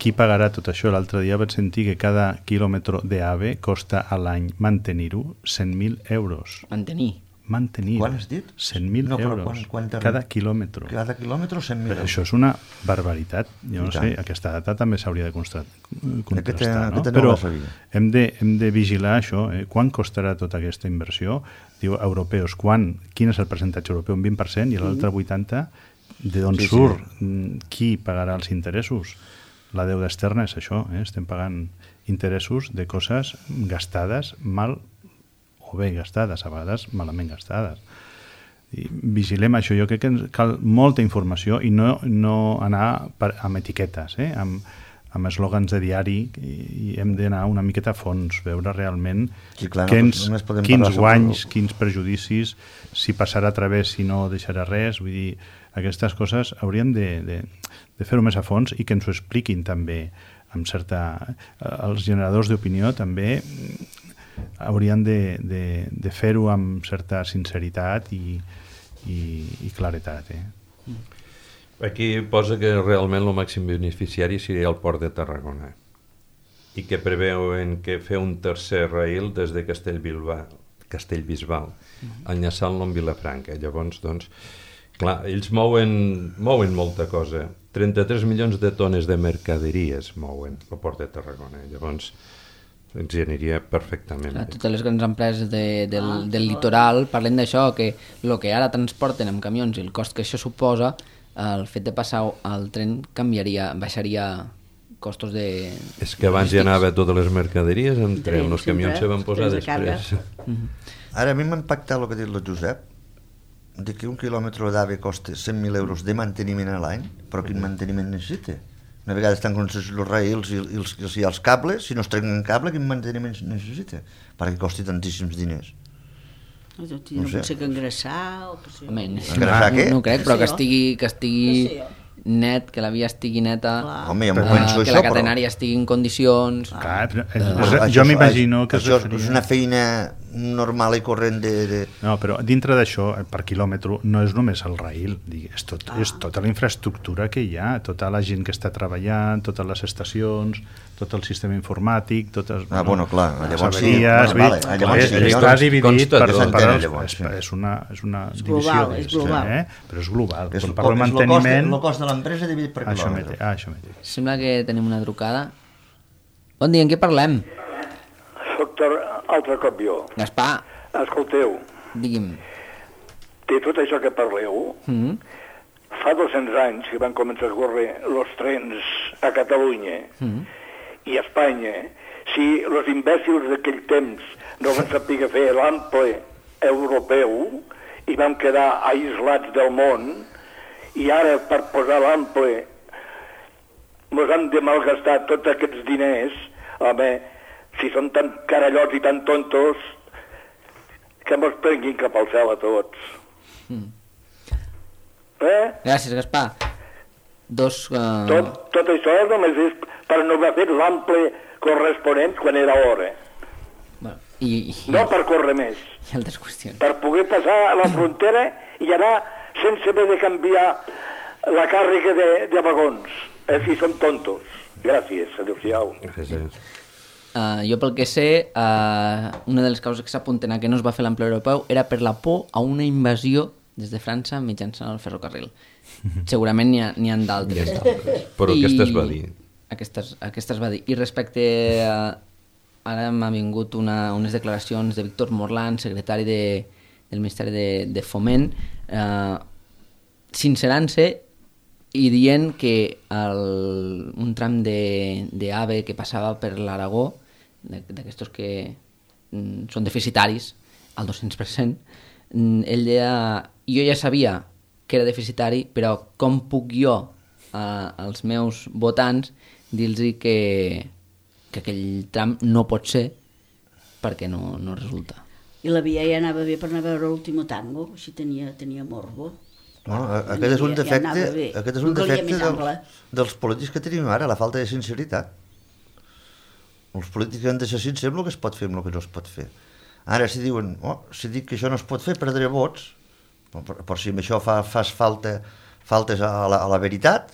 Speaker 4: Qui pagarà tot això? L'altre dia vaig sentir que cada quilòmetre d'AVE costa a l'any mantenir-ho cent mil euros.
Speaker 1: Mantenir.
Speaker 4: Mantenir.
Speaker 5: Quan has dit?
Speaker 4: cent mil
Speaker 5: No, però
Speaker 4: euros.
Speaker 5: quan- quan t'arriba?
Speaker 4: Cada quilòmetre.
Speaker 5: Cada quilòmetre cent mil
Speaker 4: Però això és una barbaritat. Jo no
Speaker 5: I
Speaker 4: sé,
Speaker 5: tant.
Speaker 4: aquesta data també s'hauria de constra- contrastar,
Speaker 5: Aquesta-
Speaker 4: no?
Speaker 5: aquesta no
Speaker 4: Però
Speaker 5: la sabia.
Speaker 4: hem de, hem de vigilar això. Eh? Quan costarà tota aquesta inversió? Diu, europeus, quan? Quin és el percentatge europeu? Un vint per cent i l'altre vuitanta per cent? De d'on
Speaker 5: Sí, sí.
Speaker 4: surt? Mm, Qui pagarà els interessos? La deuda externa és això. Eh? Estem pagant interessos de coses gastades mal o bé gastades, a vegades malament gastades. I vigilem això. Jo crec que ens cal molta informació i no, no anar per, amb etiquetes, eh? amb, amb eslògans de diari i hem d'anar una miqueta a fons, veure realment
Speaker 5: Sí, clar, no,
Speaker 4: quins,
Speaker 5: només podem
Speaker 4: quins
Speaker 5: parlar sobre
Speaker 4: guanys,
Speaker 5: el-
Speaker 4: quins perjudicis, si passarà a través, si no deixarà res. Vull dir, aquestes coses hauríem de, de, de fer-ho més a fons i que ens ho expliquin també amb certa... Els generadors d'opinió també haurien de, de, de fer-ho amb certa sinceritat i, i, i claretat. Eh?
Speaker 3: Aquí posa que realment el màxim beneficiari seria el port de Tarragona i que preveuen que fer un tercer rail des de Castellbisbal, Castellbisbal enllaçant-lo amb Vilafranca. Llavors, doncs, clar, ells mouen, mouen molta cosa. trenta-tres milions de tones de mercaderies mouen el port de Tarragona. Llavors, ens hi aniria perfectament
Speaker 1: Clar,
Speaker 3: bé.
Speaker 1: totes les grans empreses de, del, del litoral parlen d'això, que el que ara transporten amb camions i el cost que això suposa, el fet de passar al tren canviaria, baixaria costos de...
Speaker 3: És que abans hi anava totes les mercaderies en tren, els camions se van posar
Speaker 2: trens de càrrega.
Speaker 3: després.
Speaker 5: Ara a mi m'ha impactat el que ha dit el Josep, de que un quilòmetre d'AVE costa cent mil euros de manteniment a l'any, però quin manteniment necessita? Una vegada estan concessions els rails i, i, els, i els, i els cables, si no es trenquen cable, quin manteniment necessita? Perquè costi tantíssims diners.
Speaker 2: No, no,
Speaker 5: No
Speaker 2: no
Speaker 5: sé.
Speaker 2: pot ser que engraçar o que sé.
Speaker 1: Home,
Speaker 5: Engrasar
Speaker 1: no,
Speaker 5: què?
Speaker 1: no crec, però que estigui, que
Speaker 2: Què
Speaker 1: estigui
Speaker 2: sé jo?
Speaker 1: net, que la via estigui neta,
Speaker 2: Clar.
Speaker 5: Home, ja m'ho
Speaker 1: eh,
Speaker 5: penso
Speaker 1: que
Speaker 5: això,
Speaker 1: la
Speaker 5: però...
Speaker 1: catenària estigui en condicions...
Speaker 4: Clar, però, eh,
Speaker 5: Bueno,
Speaker 4: jo
Speaker 5: això-
Speaker 4: m'imagino que es
Speaker 5: això
Speaker 4: referia-
Speaker 5: és una feina normal i corrent de... de...
Speaker 4: No, però dintre d'això, per quilòmetre, no és només el rail, dic, és, tot,
Speaker 2: Ah.
Speaker 4: és tota la infraestructura que hi ha, tota la gent que està treballant, totes les estacions, tot el sistema informàtic, totes...
Speaker 5: Ah, bueno, clar,
Speaker 4: les
Speaker 5: llavors sí,
Speaker 4: averies,
Speaker 5: bueno,
Speaker 4: vull dir,
Speaker 5: vale, llavors
Speaker 4: és,
Speaker 5: sí,
Speaker 4: està
Speaker 5: llavors
Speaker 4: dividit
Speaker 3: consta
Speaker 4: per,
Speaker 3: tot.
Speaker 4: per,
Speaker 5: S'entén,
Speaker 4: els-
Speaker 5: llavors,
Speaker 4: és,
Speaker 5: sí.
Speaker 4: és una, és una
Speaker 2: És
Speaker 4: divisió
Speaker 2: global,
Speaker 4: d'ells,
Speaker 2: és global.
Speaker 4: Eh? Però és global.
Speaker 5: És
Speaker 4: Quan
Speaker 5: el,
Speaker 4: parlo de
Speaker 5: és el cost, de,
Speaker 4: manteniment...
Speaker 5: el cost de l'empresa dividit per
Speaker 4: Això
Speaker 5: quilòmetre.
Speaker 4: mateix, ah, això mateix.
Speaker 1: Sembla que tenim una trucada. Bon dia, en què parlem?
Speaker 6: Soc tor- altre cop jo.
Speaker 1: Gaspar,
Speaker 6: Escolteu,
Speaker 1: digui'm.
Speaker 6: de tot això que parleu,
Speaker 1: Mm?
Speaker 6: fa dos-cents anys que van començar a córrer els trens a Catalunya
Speaker 1: Mm.
Speaker 6: i a Espanya. Si els imbècils d'aquell temps no van saber fer l'ample europeu i vam quedar aislats del món, i ara per posar l'ample ens han de malgastar tots aquests diners, home, si són tan carallots i tan tontos, que mos prenguin cap al cel a tots.
Speaker 1: Mm.
Speaker 6: Eh?
Speaker 1: Gràcies, Gaspar. Dos... Uh...
Speaker 6: Tot, tot això només és per no haver fet l'ample corresponent quan era hora.
Speaker 1: Bueno, i, i,
Speaker 6: No per córrer més.
Speaker 1: i altres qüestions.
Speaker 6: Per poder passar a la frontera i anar sense haver de canviar la càrrega de, de vagons. Eh, si són tontos. Gràcies, adéu-siau.
Speaker 3: Gràcies.
Speaker 1: Uh, jo pel que sé, uh, una de les causes que s'apunten a que no es va fer l'ample europeu era per la por a una invasió des de França mitjançant el ferrocarril. Segurament n'hi ha, n'hi ha d'altres.
Speaker 3: Però aquesta es va dir.
Speaker 1: Aquestes, aquestes va dir. I respecte a... Ara m'ha vingut una, unes declaracions de Víctor Morland, secretari de, del Ministeri de, de Foment, eh, sincerant-se i dient que el, un tram de, de AVE que passava per l'Aragó, d'aquestos que mm, són deficitaris, al dos-cents per cent, mm, ell deia, jo ja sabia que era deficitari, però com puc jo a, als meus votants dir-los que, que aquell tram no pot ser perquè no, no resulta.
Speaker 2: I la via ja anava bé per anar a veure l'último tango, així tenia, tenia morbo.
Speaker 5: No, aquest és un
Speaker 2: Ja- ja
Speaker 5: defecte,
Speaker 2: anava bé.
Speaker 5: aquest és un
Speaker 2: No calia
Speaker 5: defecte
Speaker 2: més ample.
Speaker 5: dels, dels polítics que tenim ara, la falta de sinceritat. Els polítics han de ser sincers amb el que es pot fer i amb el que no es pot fer. Ara, si diuen, oh, si dic que això no es pot fer, perdré vots, però, però si amb això fa, fas falta, faltes a la, a la veritat,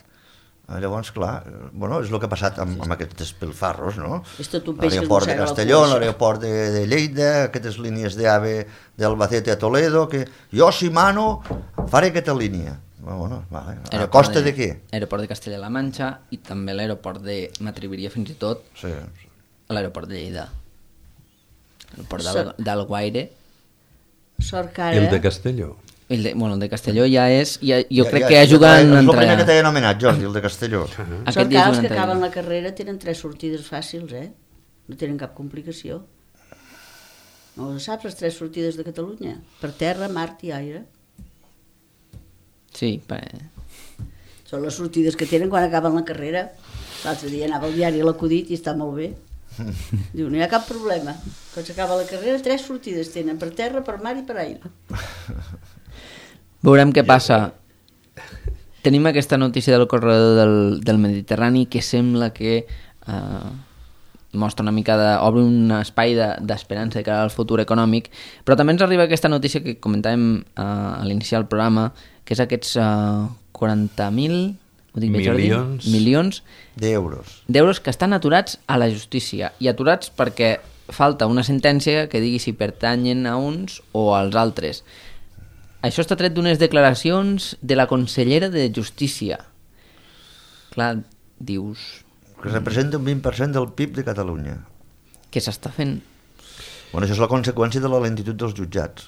Speaker 5: llavors, clar, bueno, és el que ha passat amb, amb aquests despilfarros, no?
Speaker 2: És tot un peix que es
Speaker 5: L'aeroport de
Speaker 2: mossega la
Speaker 5: Castelló,
Speaker 2: cua, això.
Speaker 5: l'aeroport de, de Lleida, aquestes línies d'AVE d'Albacete a Toledo, que jo, si mano, faré aquesta línia. Bueno, vale. A costa de, de què?
Speaker 1: L'aeroport de Castella-La Manxa i també l'aeroport de m'atreviria fins i tot
Speaker 5: Sí.
Speaker 1: a l'aeroport de Lleida. L'aeroport
Speaker 2: So-
Speaker 1: d'Al- d'Alguaire.
Speaker 2: Sort que
Speaker 3: I el
Speaker 2: ara...
Speaker 3: de Castelló?
Speaker 1: El de, bueno, el de Castelló ja és... Ja, jo
Speaker 5: Ja-
Speaker 1: crec
Speaker 5: ja-
Speaker 1: que ajuden
Speaker 5: És el
Speaker 1: entre...
Speaker 5: primer que t'he anomenat, Jordi, el de Castelló.
Speaker 1: Aquest
Speaker 2: Sort que
Speaker 1: ja
Speaker 2: ara
Speaker 1: és
Speaker 2: els
Speaker 1: un
Speaker 2: que
Speaker 1: entre-
Speaker 2: acaben la carrera tenen tres sortides fàcils, eh? No tenen cap complicació. No ho saps, les tres sortides de Catalunya? Per terra, mar i aire.
Speaker 1: Sí, per...
Speaker 2: Són les sortides que tenen quan acaben la carrera. L'altre dia anava al diari L'Acudit i està molt bé. Diu, no hi ha cap problema. Quan s'acaba la carrera, tres sortides tenen, per terra, per mar i per aire.
Speaker 1: Veurem què passa. Tenim aquesta notícia del corredor del, del Mediterrani que sembla que eh, mostra una mica de, obre un espai d'esperança de, cara al futur econòmic, però també ens arriba aquesta notícia que comentàvem eh, a l'iniciar el programa, que és aquests eh, quaranta mil
Speaker 3: milions,
Speaker 1: milions
Speaker 5: d'euros
Speaker 1: d'euros que estan aturats a la justícia, i aturats perquè falta una sentència que digui si pertanyen a uns o als altres. Això està tret d'unes declaracions de la consellera de Justícia. Clar, dius...
Speaker 5: que representa un vint per cent del P I B de Catalunya.
Speaker 1: Què s'està fent?
Speaker 5: Bueno, això és la conseqüència de la lentitud dels jutjats.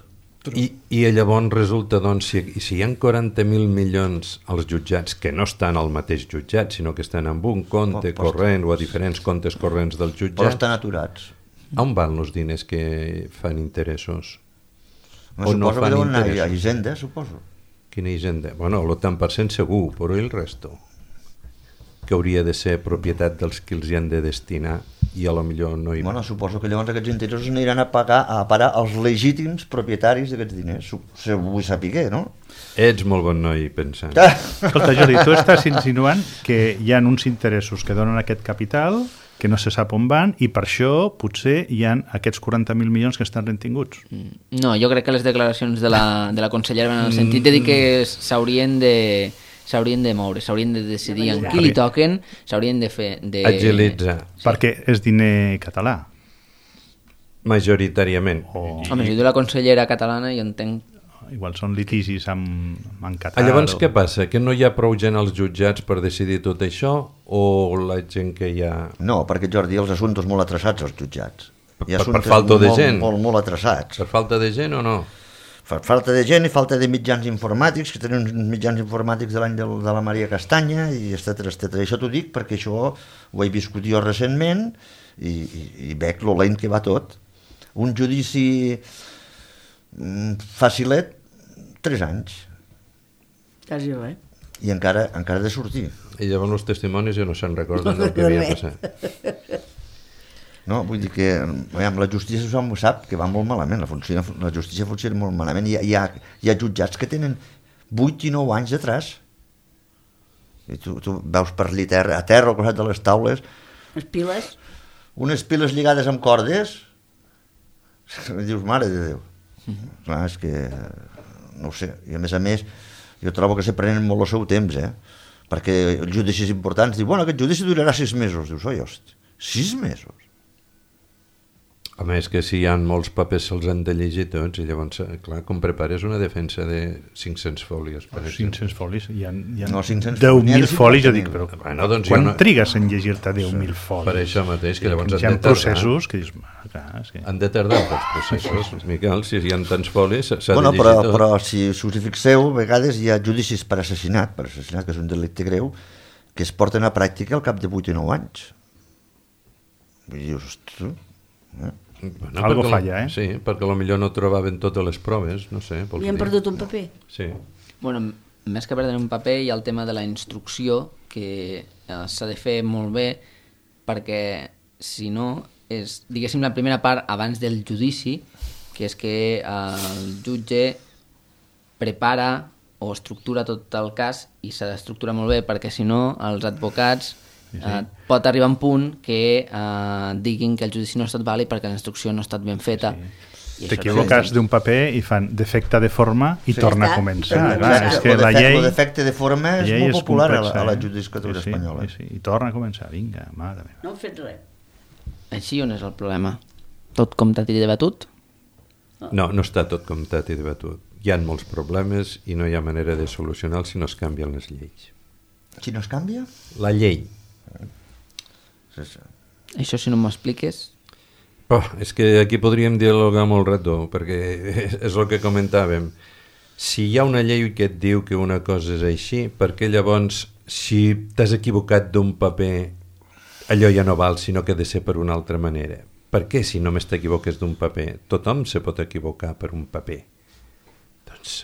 Speaker 3: I, i llavors resulta, doncs, si, si hi ha quaranta mil milions als jutjats que no estan al mateix jutjat, sinó que estan en un compte
Speaker 5: oh,
Speaker 3: corrent o a diferents comptes corrents dels jutjats...
Speaker 5: Però estan aturats.
Speaker 3: On van els diners que fan interessos?
Speaker 5: No,
Speaker 3: o
Speaker 5: suposo
Speaker 3: no
Speaker 5: que
Speaker 3: fan
Speaker 5: deuen anar a
Speaker 3: interessos?
Speaker 5: Hisenda, suposo.
Speaker 3: Quina Hisenda? Bueno, el tant per cent segur, però i el resto? Que hauria de ser propietat dels que els hi han de destinar i a lo millor no hi...
Speaker 5: Bueno, suposo que llavors aquests interessos aniran a pagar a parar als legítims propietaris d'aquests diners. Se vull saber, no?
Speaker 3: Ets molt bon noi pensant.
Speaker 4: Escolta, Jordi, tu estàs insinuant que hi ha uns interessos que donen aquest capital que no se sap on van, i per això potser hi ha aquests quaranta mil milions que estan retinguts.
Speaker 1: No, jo crec que les declaracions de la, de la consellera van en el sentit de dir que s'haurien de s'haurien de moure, s'haurien de decidir en qui li toquen, s'haurien de fer... De...
Speaker 3: Agilitzar.
Speaker 4: Perquè és diner català.
Speaker 3: Majoritàriament.
Speaker 4: O...
Speaker 1: Home, si diu la consellera catalana, jo entenc...
Speaker 4: Igual són litigis amb, amb Qatar.
Speaker 3: Llavors,
Speaker 4: o...
Speaker 3: què passa? Que no hi ha prou gent als jutjats per decidir tot això, o la gent que hi ha...
Speaker 5: No, perquè, Jordi, els assumptes molt atrasats als jutjats. Hi ha
Speaker 3: Per, per
Speaker 5: assumptes
Speaker 3: falta de
Speaker 5: molt,
Speaker 3: gent?
Speaker 5: Molt, molt atrasats.
Speaker 3: Per falta de gent o no?
Speaker 5: Per falta de gent i falta de mitjans informàtics, que tenen uns mitjans informàtics de l'any de, de la Maria Castanya, i etcètera, etcètera. Això t'ho dic perquè això ho he viscut jo recentment i, i, i veig lo lent que va tot. Un judici mm, facilet, tres anys.
Speaker 2: Quasi res.
Speaker 5: I encara, encara ha de sortir.
Speaker 3: I llavors els testimonis ja no se'n recorden del que havia passat.
Speaker 5: No, vull dir que veiem, la justícia tothom ho sap que va molt malament, la, funciona, la justícia funciona molt malament. Hi ha, hi, ha, hi ha jutjats que tenen vuit i nou anys d'atràs. I tu, tu veus per allà terra, a terra al costat de les taules
Speaker 2: Les piles...
Speaker 5: unes piles lligades amb cordes. Dius, mare de Déu. Mm-hmm. Clar, és que no ho sé, i a més a més jo trobo que se prenen molt el seu temps, eh? Perquè els judicis importants diuen, bueno, aquest judici durarà sis mesos. Dius, oi, hosti, sis mesos?
Speaker 3: A més que si hi ha molts papers se'ls han de llegir tots, i llavors, clar, com prepares una defensa de cinc-cents fòlies, per exemple.
Speaker 4: cinc-cents fòlies, hi ha, hi ha
Speaker 5: No, cinc-cents
Speaker 4: deu mil
Speaker 5: n'hi ha de
Speaker 4: fòlies, jo
Speaker 5: cinquanta
Speaker 4: dic, però
Speaker 3: Bueno, doncs
Speaker 4: quan
Speaker 3: jo no-
Speaker 4: trigues en llegir-te deu mil fòlies?
Speaker 3: Per això mateix, que llavors
Speaker 4: hi
Speaker 3: han
Speaker 4: ha
Speaker 3: de tardar.
Speaker 4: processos que dius, ah, clar, és que...
Speaker 3: Han de tardar els processos, Miquel, si hi ha tants fòlies s'ha
Speaker 5: Bueno,
Speaker 3: de
Speaker 5: però,
Speaker 3: llegir tot.
Speaker 5: però si, si us hi fixeu, a vegades hi ha judicis per assassinat, per assassinat, que és un delicte greu, que es porten a pràctica al cap de vuit i nou anys. Vull dir, ostres... Eh?
Speaker 3: Bueno,
Speaker 4: Algo
Speaker 3: perquè
Speaker 4: falla,
Speaker 3: lo-
Speaker 4: eh?
Speaker 3: Sí, perquè potser no trobaven totes les proves, no sé. vols
Speaker 2: Li han
Speaker 3: dir.
Speaker 2: perdut un paper.
Speaker 3: Sí.
Speaker 1: Bueno, més que perdre un paper hi ha el tema de la instrucció, que eh, s'ha de fer molt bé, perquè si no és, diguéssim, la primera part abans del judici, que és que eh, el jutge prepara o estructura tot el cas, i s'ha d'estructurar molt bé, perquè si no els advocats eh, pot arribar a un punt que eh, diguin que el judici no ha estat vàlid perquè la instrucció no ha estat ben feta. I això
Speaker 4: T'equivoques d'un paper i fan defecte de forma i
Speaker 5: Sí.
Speaker 4: torna a
Speaker 2: Està.
Speaker 4: començar.
Speaker 2: Exacte.
Speaker 4: Clar, és que
Speaker 5: Lo
Speaker 4: la
Speaker 5: defecte-
Speaker 4: llei...
Speaker 5: lo defecte de forma és
Speaker 4: la llei
Speaker 5: molt popular a la,
Speaker 4: complexa,
Speaker 5: a la
Speaker 4: eh?
Speaker 5: judicatura
Speaker 4: sí, sí,
Speaker 5: espanyola.
Speaker 4: Sí, sí. I torna a començar, vinga, mare meva.
Speaker 2: No han fet res.
Speaker 1: Així on és el problema? Tot comptat i debatut?
Speaker 3: No, no està tot comptat i debatut. Hi ha molts problemes i no hi ha manera de solucionar si no es canvien les lleis.
Speaker 5: Si no es canvia?
Speaker 3: La llei.
Speaker 5: Sí, sí.
Speaker 1: Això si no m'ho expliques...
Speaker 3: Oh, és que aquí podríem dialogar molt rato, perquè és, és el que comentàvem. Si hi ha una llei que et diu que una cosa és així, perquè llavors, si t'has equivocat d'un paper, allò ja no val, sinó que ha de ser per una altra manera. Per què, si només t'equivoques d'un paper? Tothom se pot equivocar per un paper. Doncs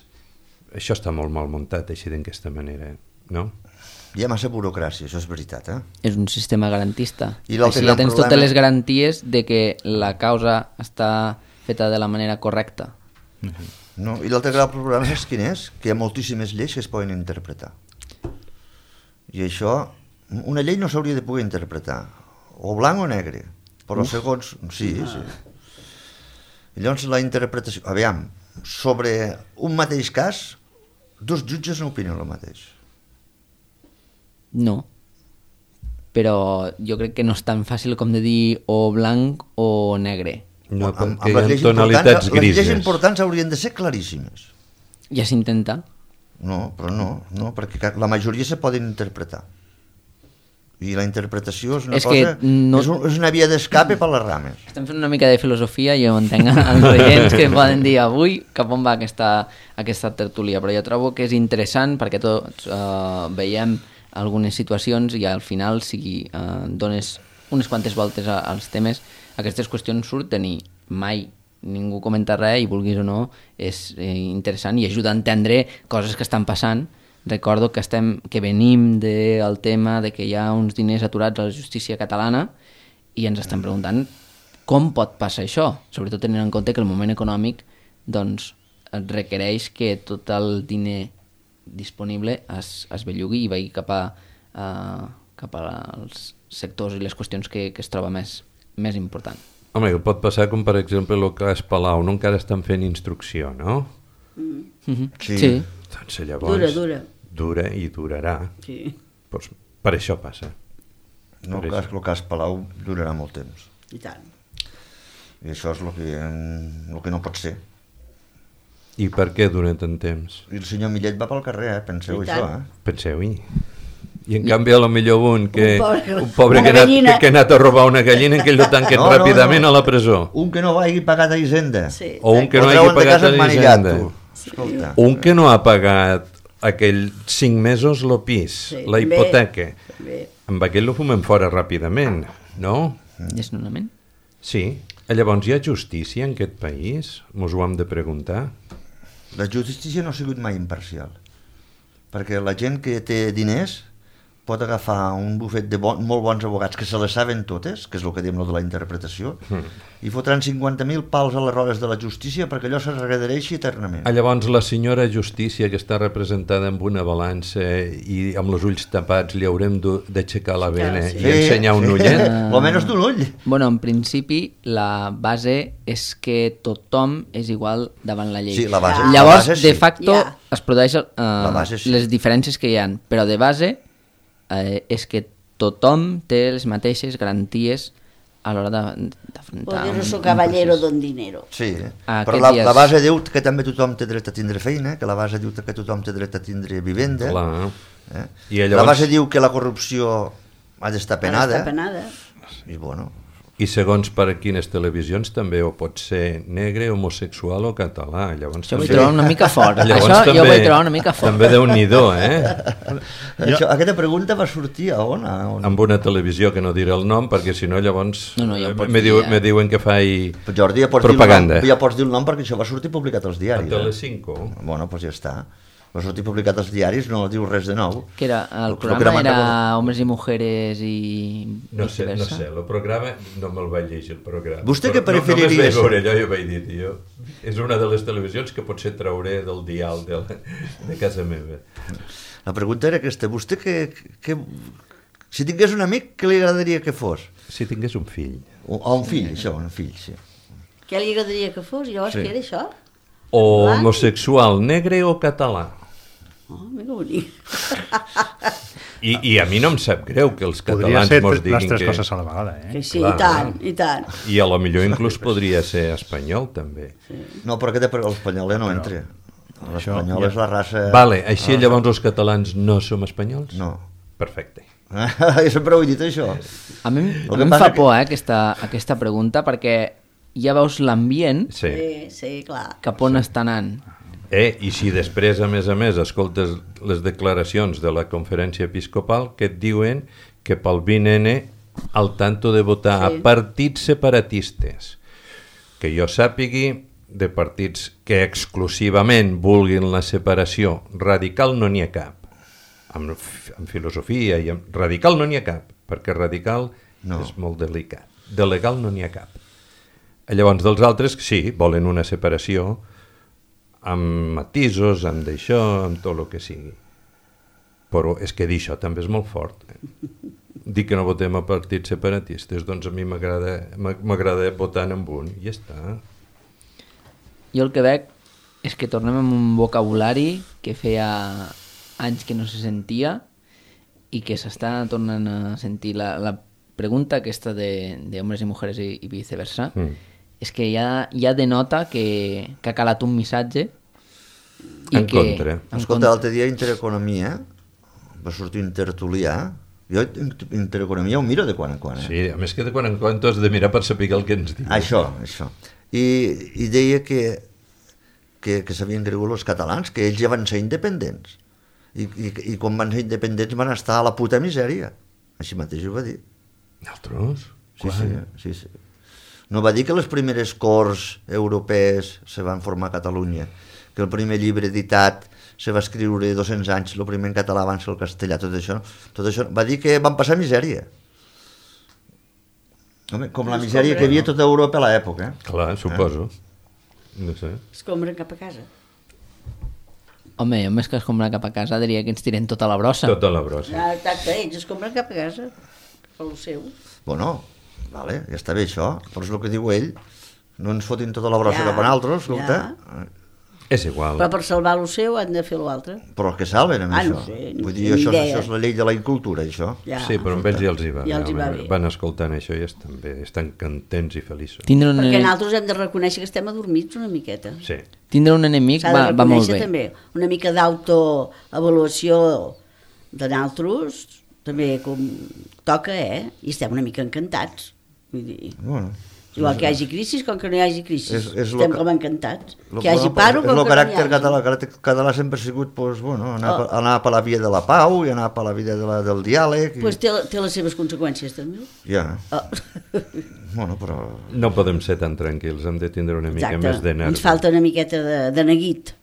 Speaker 3: això està molt mal muntat, així d'aquesta manera, no?
Speaker 5: Hi ha massa burocràcia, això és veritat, eh?
Speaker 1: És un sistema garantista.
Speaker 5: I l'altre
Speaker 1: Així
Speaker 5: gran
Speaker 1: ja tens
Speaker 5: problema-
Speaker 1: totes les garanties de que la causa està feta de la manera correcta.
Speaker 5: No? I l'altre gran problema és quin és? Que hi ha moltíssimes lleis que es poden interpretar. I això, una llei no s'hauria de poder interpretar, o blanc o negre, però Uf. segons... Sí, sí. I llavors la interpretació... Aviam, sobre un mateix cas, dos jutges no opinen el mateix.
Speaker 1: No. Però jo crec que no és tan fàcil com de dir o blanc o negre.
Speaker 3: No,
Speaker 5: amb,
Speaker 3: perquè
Speaker 5: amb les
Speaker 3: hi
Speaker 5: lleis
Speaker 3: ha tonalitats
Speaker 5: importants, les lleis
Speaker 3: grises.
Speaker 5: importants haurien de ser claríssimes.
Speaker 1: Ja s'intenta.
Speaker 5: No, però no, no, perquè la majoria se poden interpretar. I la interpretació és una
Speaker 1: És
Speaker 5: cosa...
Speaker 1: que no-
Speaker 5: És, un, és una via d'escape per les rames.
Speaker 1: Estem fent una mica de filosofia i jo entenc els oients que poden dir avui cap on va aquesta, aquesta tertúlia, però jo trobo que és interessant perquè tots eh, veiem algunes situacions i al final si eh, dones unes quantes voltes a, als temes, aquestes qüestions surten i mai ningú comenta res i vulguis o no és eh, interessant i ajuda a entendre coses que estan passant. Recordo que, estem, que venim del tema de que hi ha uns diners aturats a la justícia catalana i ens estem preguntant com pot passar això, sobretot tenint en compte que el moment econòmic doncs, requereix que tot el diner disponible es, es bellugui i vagi cap, a, uh, cap als sectors i les qüestions que, que es troba més, més important.
Speaker 3: Home, que pot passar com per exemple el cas Palau, no encara estan fent instrucció, no?
Speaker 2: Mm.
Speaker 1: Mm-hmm.
Speaker 5: Sí.
Speaker 1: Sí.
Speaker 3: Doncs llavors...
Speaker 2: Dura, dura.
Speaker 3: Dura i durarà.
Speaker 2: Sí.
Speaker 3: Pues per això passa.
Speaker 5: No, el cas, el cas Palau durarà molt temps.
Speaker 2: I tant.
Speaker 5: I això és el que, el que no pot ser.
Speaker 3: I per què dura tant temps?
Speaker 5: I el senyor Millet va pel carrer, eh? Penseu
Speaker 2: I tant.
Speaker 5: això, eh?
Speaker 3: Penseu-hi. I en canvi a lo millor un que
Speaker 2: Un pobre-
Speaker 3: un pobre
Speaker 2: una
Speaker 3: que, ha anat,
Speaker 2: gallina.
Speaker 3: que, que ha anat a robar una gallina que ell lo tanquen
Speaker 5: No, no,
Speaker 3: ràpidament
Speaker 5: no.
Speaker 3: a la presó.
Speaker 5: Un que no hagi pagat a Hisenda.
Speaker 2: Sí.
Speaker 3: O un que no
Speaker 5: Ho
Speaker 3: hagi
Speaker 5: treuen de
Speaker 3: pagat
Speaker 5: casa
Speaker 3: a
Speaker 5: emmanillat,
Speaker 3: l'Hisenda.
Speaker 5: tu. Escolta.
Speaker 3: Un que no ha pagat aquell cinc mesos lo pis,
Speaker 2: Sí,
Speaker 3: la
Speaker 2: també.
Speaker 3: hipoteca.
Speaker 2: Bé.
Speaker 3: Amb aquell lo fumem fora ràpidament, no?
Speaker 1: Desnonament?
Speaker 3: Sí. Llavors hi ha justícia en aquest país? Mos ho hem de preguntar.
Speaker 5: La justícia no ha sigut mai imparcial. Perquè la gent que té diners pot agafar un bufet de bon, molt bons abogats que se les saben totes, que és el que diem lo de la interpretació, mm. i fotran cinquanta mil pals a les rodes de la justícia perquè allò se regredereixi eternament.
Speaker 3: Ah, llavors la senyora Justícia, que està representada amb una balança i amb els ulls tapats, li haurem d'aixecar la vena
Speaker 2: Sí.
Speaker 3: i ensenyar un ullet?
Speaker 5: Almenys d'un ull.
Speaker 1: Bueno, en principi la base és que tothom és igual davant la llei.
Speaker 5: Sí, la base-
Speaker 1: Llavors,
Speaker 5: la base sí.
Speaker 1: de facto,
Speaker 2: Ja.
Speaker 1: es produeixen uh,
Speaker 5: base sí.
Speaker 1: les diferències que hi ha, però de base eh, és que tothom té les mateixes garanties a l'hora de- d'afrontar...
Speaker 2: Poder
Speaker 1: un-
Speaker 2: su
Speaker 1: un
Speaker 2: caballero
Speaker 1: procés.
Speaker 2: don dinero.
Speaker 5: Sí,
Speaker 1: Ah,
Speaker 5: però
Speaker 1: aquests
Speaker 5: la,
Speaker 1: dies-
Speaker 5: la base diu que també tothom té dret a tindre feina, que la base diu que tothom té dret a tindre vivenda.
Speaker 3: Clar.
Speaker 5: Eh?
Speaker 3: I llavors-
Speaker 5: La base diu que la corrupció ha d'estar penada.
Speaker 2: Està penada.
Speaker 5: I bueno,
Speaker 3: I segons per a quines televisions també o pot ser negre, homosexual o català. Llavors,
Speaker 1: Això ho vaig
Speaker 3: també-
Speaker 1: trobar una mica fort.
Speaker 3: Llavors
Speaker 1: Això
Speaker 3: també,
Speaker 1: jo ho vaig trobar una mica fort.
Speaker 3: També Déu-n'hi-do, eh?
Speaker 5: això, aquesta pregunta va sortir a on? A on?
Speaker 3: Amb una televisió que no diré el nom, perquè si no llavors
Speaker 1: No, no, ja ho
Speaker 3: eh,
Speaker 1: pots
Speaker 3: me,
Speaker 1: dir,
Speaker 3: diu,
Speaker 1: ja.
Speaker 3: me diuen que faig
Speaker 5: Però Jordi, ja pots,
Speaker 3: propaganda.
Speaker 5: dir el nom, ja pots dir el nom perquè això va sortir publicat als
Speaker 3: A
Speaker 5: diaris.
Speaker 3: Telecinco.
Speaker 5: Eh? Bueno, doncs ja està. Va sortir publicat als diaris, no diu res de nou.
Speaker 1: Que era, el
Speaker 5: Lo- lo que era
Speaker 1: programa era
Speaker 5: Macarena.
Speaker 1: Hombres i Mujeres i
Speaker 3: No sé, no
Speaker 1: viceversa.
Speaker 3: sé, el programa, no me'l vaig llegir el programa.
Speaker 5: Vostè
Speaker 3: Però
Speaker 5: què preferiria
Speaker 3: No, només vaig
Speaker 5: ser?
Speaker 3: veure allò i vaig dir, tio, és una de les televisions que potser trauré del dial de, la, de casa meva.
Speaker 5: La pregunta era aquesta. Vostè que, que, si tingués un amic, què li agradaria que fos?
Speaker 3: Si tingués un fill.
Speaker 5: O, o un fill, això, un fill, sí.
Speaker 2: Què li agradaria que fos? Llavors,
Speaker 5: Sí.
Speaker 2: què era això?
Speaker 3: O
Speaker 2: Blanc?
Speaker 3: homosexual, negre o català.
Speaker 2: Oh, mira bonic.
Speaker 3: I, I a mi no em sap greu que els
Speaker 4: Podria
Speaker 3: catalans
Speaker 4: ser
Speaker 3: mos
Speaker 4: les
Speaker 3: diguin
Speaker 4: tres
Speaker 3: que...
Speaker 4: coses a la vegada, eh?
Speaker 2: Que sí,
Speaker 3: Clar.
Speaker 2: i tant, i tant.
Speaker 3: I a lo millor inclús podria ser espanyol, també.
Speaker 5: No, però aquest l'espanyol ja no entra. L'espanyol
Speaker 4: ja-
Speaker 5: és la raça...
Speaker 3: Vale, així llavors els catalans no som espanyols?
Speaker 5: No.
Speaker 3: Perfecte.
Speaker 5: Jo sempre ho he dit, això.
Speaker 1: A mi,
Speaker 5: El
Speaker 1: a
Speaker 5: que
Speaker 1: mi em
Speaker 5: passa
Speaker 1: fa
Speaker 5: que-
Speaker 1: por eh, aquesta, aquesta pregunta perquè ja veus l'ambient
Speaker 3: Sí.
Speaker 2: Sí, sí, clar.
Speaker 1: cap on està anant.
Speaker 3: Eh, I si després, a més a més, escoltes les declaracions de la conferència episcopal que et diuen que pel vint ene al tanto de votar
Speaker 2: Sí.
Speaker 3: a partits separatistes, que jo sàpigui, de partits que exclusivament vulguin la separació radical no n'hi ha cap. amb, amb filosofia i amb... Radical no n'hi ha cap, perquè radical
Speaker 5: no.
Speaker 3: és molt delicat. De legal no n'hi ha cap. Llavors, dels altres, sí, volen una separació amb matisos, amb d'això, amb tot el que sigui. Però és que dir això també és molt fort. Eh? Dir que no votem a partits separatistes, doncs a mi m'agrada votar en un, i ja està.
Speaker 1: Jo el que veig és que tornem amb un vocabulari que feia anys que no se sentia i que s'està tornant a sentir. La, la pregunta aquesta de, de homes i mujeres i, i viceversa mm. és que ja, ja denota que, que ha calat un missatge i
Speaker 3: en
Speaker 1: que,
Speaker 3: contra.
Speaker 1: En
Speaker 5: Escolta, l'altre dia Intereconomia va sortir un tertulià. Jo Intereconomia ho miro de quan en quan. Eh?
Speaker 3: Sí, a més que de quan en quan tu has de mirar per saber el que ens diu.
Speaker 5: Això, això. I, i deia que, que, que s'havien cregut els catalans, que ells ja van ser independents. I, i, i quan van ser independents van estar a la puta misèria. Així mateix ho va dir.
Speaker 3: Nosaltres?
Speaker 5: Sí, sí, sí, sí. No va dir que les primeres corts europees se van formar a Catalunya, que el primer llibre editat se va escriure dos-cents anys, el primer en català abans que el castellà, tot això. Tot això va dir que van passar misèria. Home, com la misèria que hi havia a tota Europa a l'època. Eh?
Speaker 3: Clar, suposo. Eh? No sé.
Speaker 2: Es compren cap a casa.
Speaker 1: Home, jo més que es compren cap a casa diria que ens tiren tota la brossa.
Speaker 3: Tota la brossa.
Speaker 2: Ah, exacte, ells es compren cap a casa, per lo seu.
Speaker 5: Bueno, vale, ja està bé això, però és el que diu ell, no ens fotin tota la brossa
Speaker 2: Ja,
Speaker 5: cap a nosaltres, escolta.
Speaker 2: ja.
Speaker 3: És igual.
Speaker 2: Però per salvar lo seu han de fer l'altre.
Speaker 5: Però que salven amb
Speaker 2: Ah,
Speaker 5: això.
Speaker 2: no sé,
Speaker 5: Vull
Speaker 2: ni
Speaker 5: dir, això,
Speaker 2: idea.
Speaker 5: això és la llei de la incultura, això.
Speaker 2: Ja.
Speaker 3: Sí, però amb ells ja els hi va.
Speaker 2: Ja els hi va
Speaker 3: home,
Speaker 2: bé.
Speaker 3: Van escoltant això i estan bé, estan contents i feliços.
Speaker 1: Tindre un,
Speaker 2: Perquè
Speaker 1: enemic,
Speaker 2: nosaltres hem de reconèixer que estem adormits una miqueta.
Speaker 3: Sí.
Speaker 1: tindre un enemic
Speaker 2: S'ha de
Speaker 1: va, va molt
Speaker 2: reconèixer
Speaker 1: bé.
Speaker 2: també una mica d'autoavaluació de nosaltres, també com toca, eh? I estem una mica encantats. Vull dir,
Speaker 5: Bueno,
Speaker 2: igual que hi hagi crisis, com que no hi hagi crisis.
Speaker 5: És- és lo
Speaker 2: estem
Speaker 5: que-
Speaker 2: com encantats.
Speaker 5: lo-
Speaker 2: Que hi hagi
Speaker 5: bueno,
Speaker 2: paro,
Speaker 5: és
Speaker 2: com
Speaker 5: el
Speaker 2: que no hi
Speaker 5: caràcter
Speaker 2: hagi.
Speaker 5: català, el caràcter català sempre ha sigut pues, bueno, anar,
Speaker 2: Oh.
Speaker 5: per, anar per la via de la pau i anar per la via de la, del diàleg. I...
Speaker 2: Pues té, té les seves conseqüències, també.
Speaker 5: Ja,
Speaker 2: Oh.
Speaker 5: bueno, però...
Speaker 3: No podem ser tan tranquils, hem de tindre una mica
Speaker 2: Exacte.
Speaker 3: més de nervi.
Speaker 2: Ens falta una miqueta de, de neguit,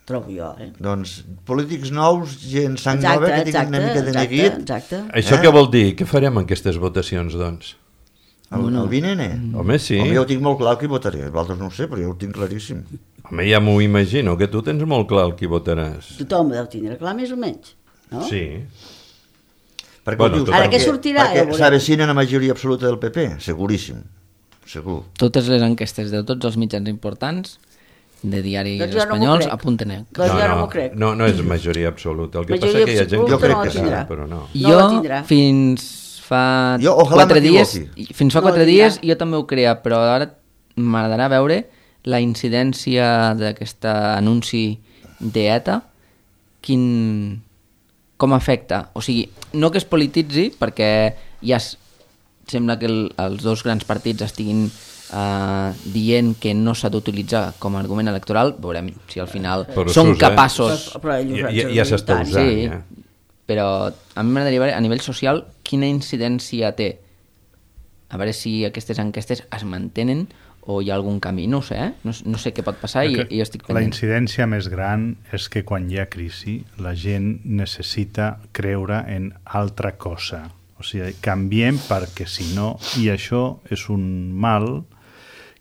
Speaker 2: trobo jo, eh?
Speaker 5: Doncs polítics nous, gent sang
Speaker 2: Exacte,
Speaker 5: nova, que tinguin
Speaker 2: exacte,
Speaker 5: una mica de
Speaker 2: exacte,
Speaker 5: neguit.
Speaker 2: exacte.
Speaker 3: Això
Speaker 5: Eh?
Speaker 3: què vol dir? Què farem en aquestes votacions, doncs?
Speaker 5: El, el Vinene?
Speaker 3: Home, sí.
Speaker 5: Home, jo ho tinc molt clar el que votaré, vosaltres no ho sé, però jo ho tinc claríssim.
Speaker 3: Home, ja m'ho imagino, que tu tens molt clar el qui votaràs.
Speaker 2: Tothom ho deu tindre clar, més o menys. No?
Speaker 3: Sí.
Speaker 5: Perquè
Speaker 3: Bueno,
Speaker 5: ho dius,
Speaker 3: total.
Speaker 2: Ara què
Speaker 5: perquè-
Speaker 2: sortirà? Ja
Speaker 5: Perquè
Speaker 2: veurem.
Speaker 5: s'avecina la majoria absoluta del P P, seguríssim, segur.
Speaker 1: Totes les enquestes de tots els mitjans importants de diaris
Speaker 2: Doncs jo no m'ho
Speaker 1: espanyols
Speaker 2: crec.
Speaker 1: apunten. Eh?
Speaker 2: Doncs jo no m'ho crec.
Speaker 3: No, no és majoria absoluta. El que
Speaker 2: Majoria
Speaker 3: passa que hi ha gent
Speaker 2: absoluta
Speaker 5: Jo crec
Speaker 2: no
Speaker 5: que
Speaker 2: la
Speaker 5: sí,
Speaker 2: tindrà.
Speaker 3: però no.
Speaker 2: No la
Speaker 1: Jo
Speaker 2: tindrà.
Speaker 1: fins fa
Speaker 5: Jo, ojalà
Speaker 1: quatre dies,
Speaker 5: m'equivoqui.
Speaker 1: fins fa
Speaker 2: No la
Speaker 1: quatre
Speaker 2: tindrà.
Speaker 1: dies jo també ho creia, però ara m'agradarà veure la incidència d'aquest anunci d'ETA, quin, com afecta. O sigui, no que es polititzi, perquè ja es, sembla que el, els dos grans partits estiguin Uh, dient que no s'ha d'utilitzar com a argument electoral, veurem si al final
Speaker 3: Però
Speaker 1: són
Speaker 3: s'usa.
Speaker 1: capaços.
Speaker 2: Però, però ells
Speaker 3: Ja,
Speaker 2: ho
Speaker 3: ja,
Speaker 2: han
Speaker 3: ja s'està
Speaker 2: tant.
Speaker 3: usant,
Speaker 1: Sí,
Speaker 3: ja.
Speaker 1: però a mi m'agradaria veure a nivell social quina incidència té. A veure si aquestes enquestes es mantenen o hi ha algun camí, no ho sé, eh? no, no sé què pot passar i, i jo estic
Speaker 4: La
Speaker 1: pendent.
Speaker 4: incidència més gran és que quan hi ha crisi la gent necessita creure en altra cosa. O sigui, canviem perquè si no, i això és un mal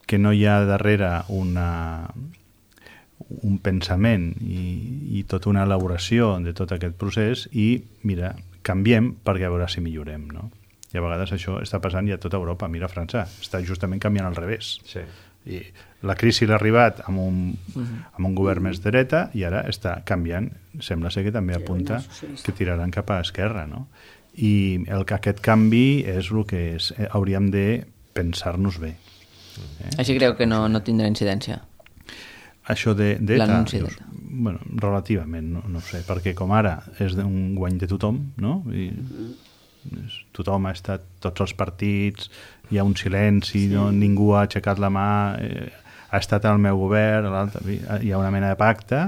Speaker 4: que no hi ha darrere una, un pensament i, i tota una elaboració de tot aquest procés i, mira, canviem perquè a veure si millorem, no? I a vegades això està passant ja a tota Europa. Mira França, està justament canviant al revés.
Speaker 3: Sí.
Speaker 4: I la crisi l'ha arribat amb un, amb un govern més de dreta i ara està canviant. Sembla ser que també apunta que tiraran cap a esquerra, no? I el que aquest canvi és el que és, eh, hauríem de pensar-nos bé. Eh?
Speaker 1: Així creu que no, no tindrà incidència.
Speaker 4: Això de d'ETA,
Speaker 1: L'anunci
Speaker 4: dius,
Speaker 1: d'ETA.
Speaker 4: bueno, relativament, no, no ho sé, perquè com ara és un guany de tothom, no? I és, tothom ha estat, tots els partits, hi ha un silenci, sí. no? Ningú ha aixecat la mà, eh, ha estat el meu govern, l'altre, hi ha una mena de pacte,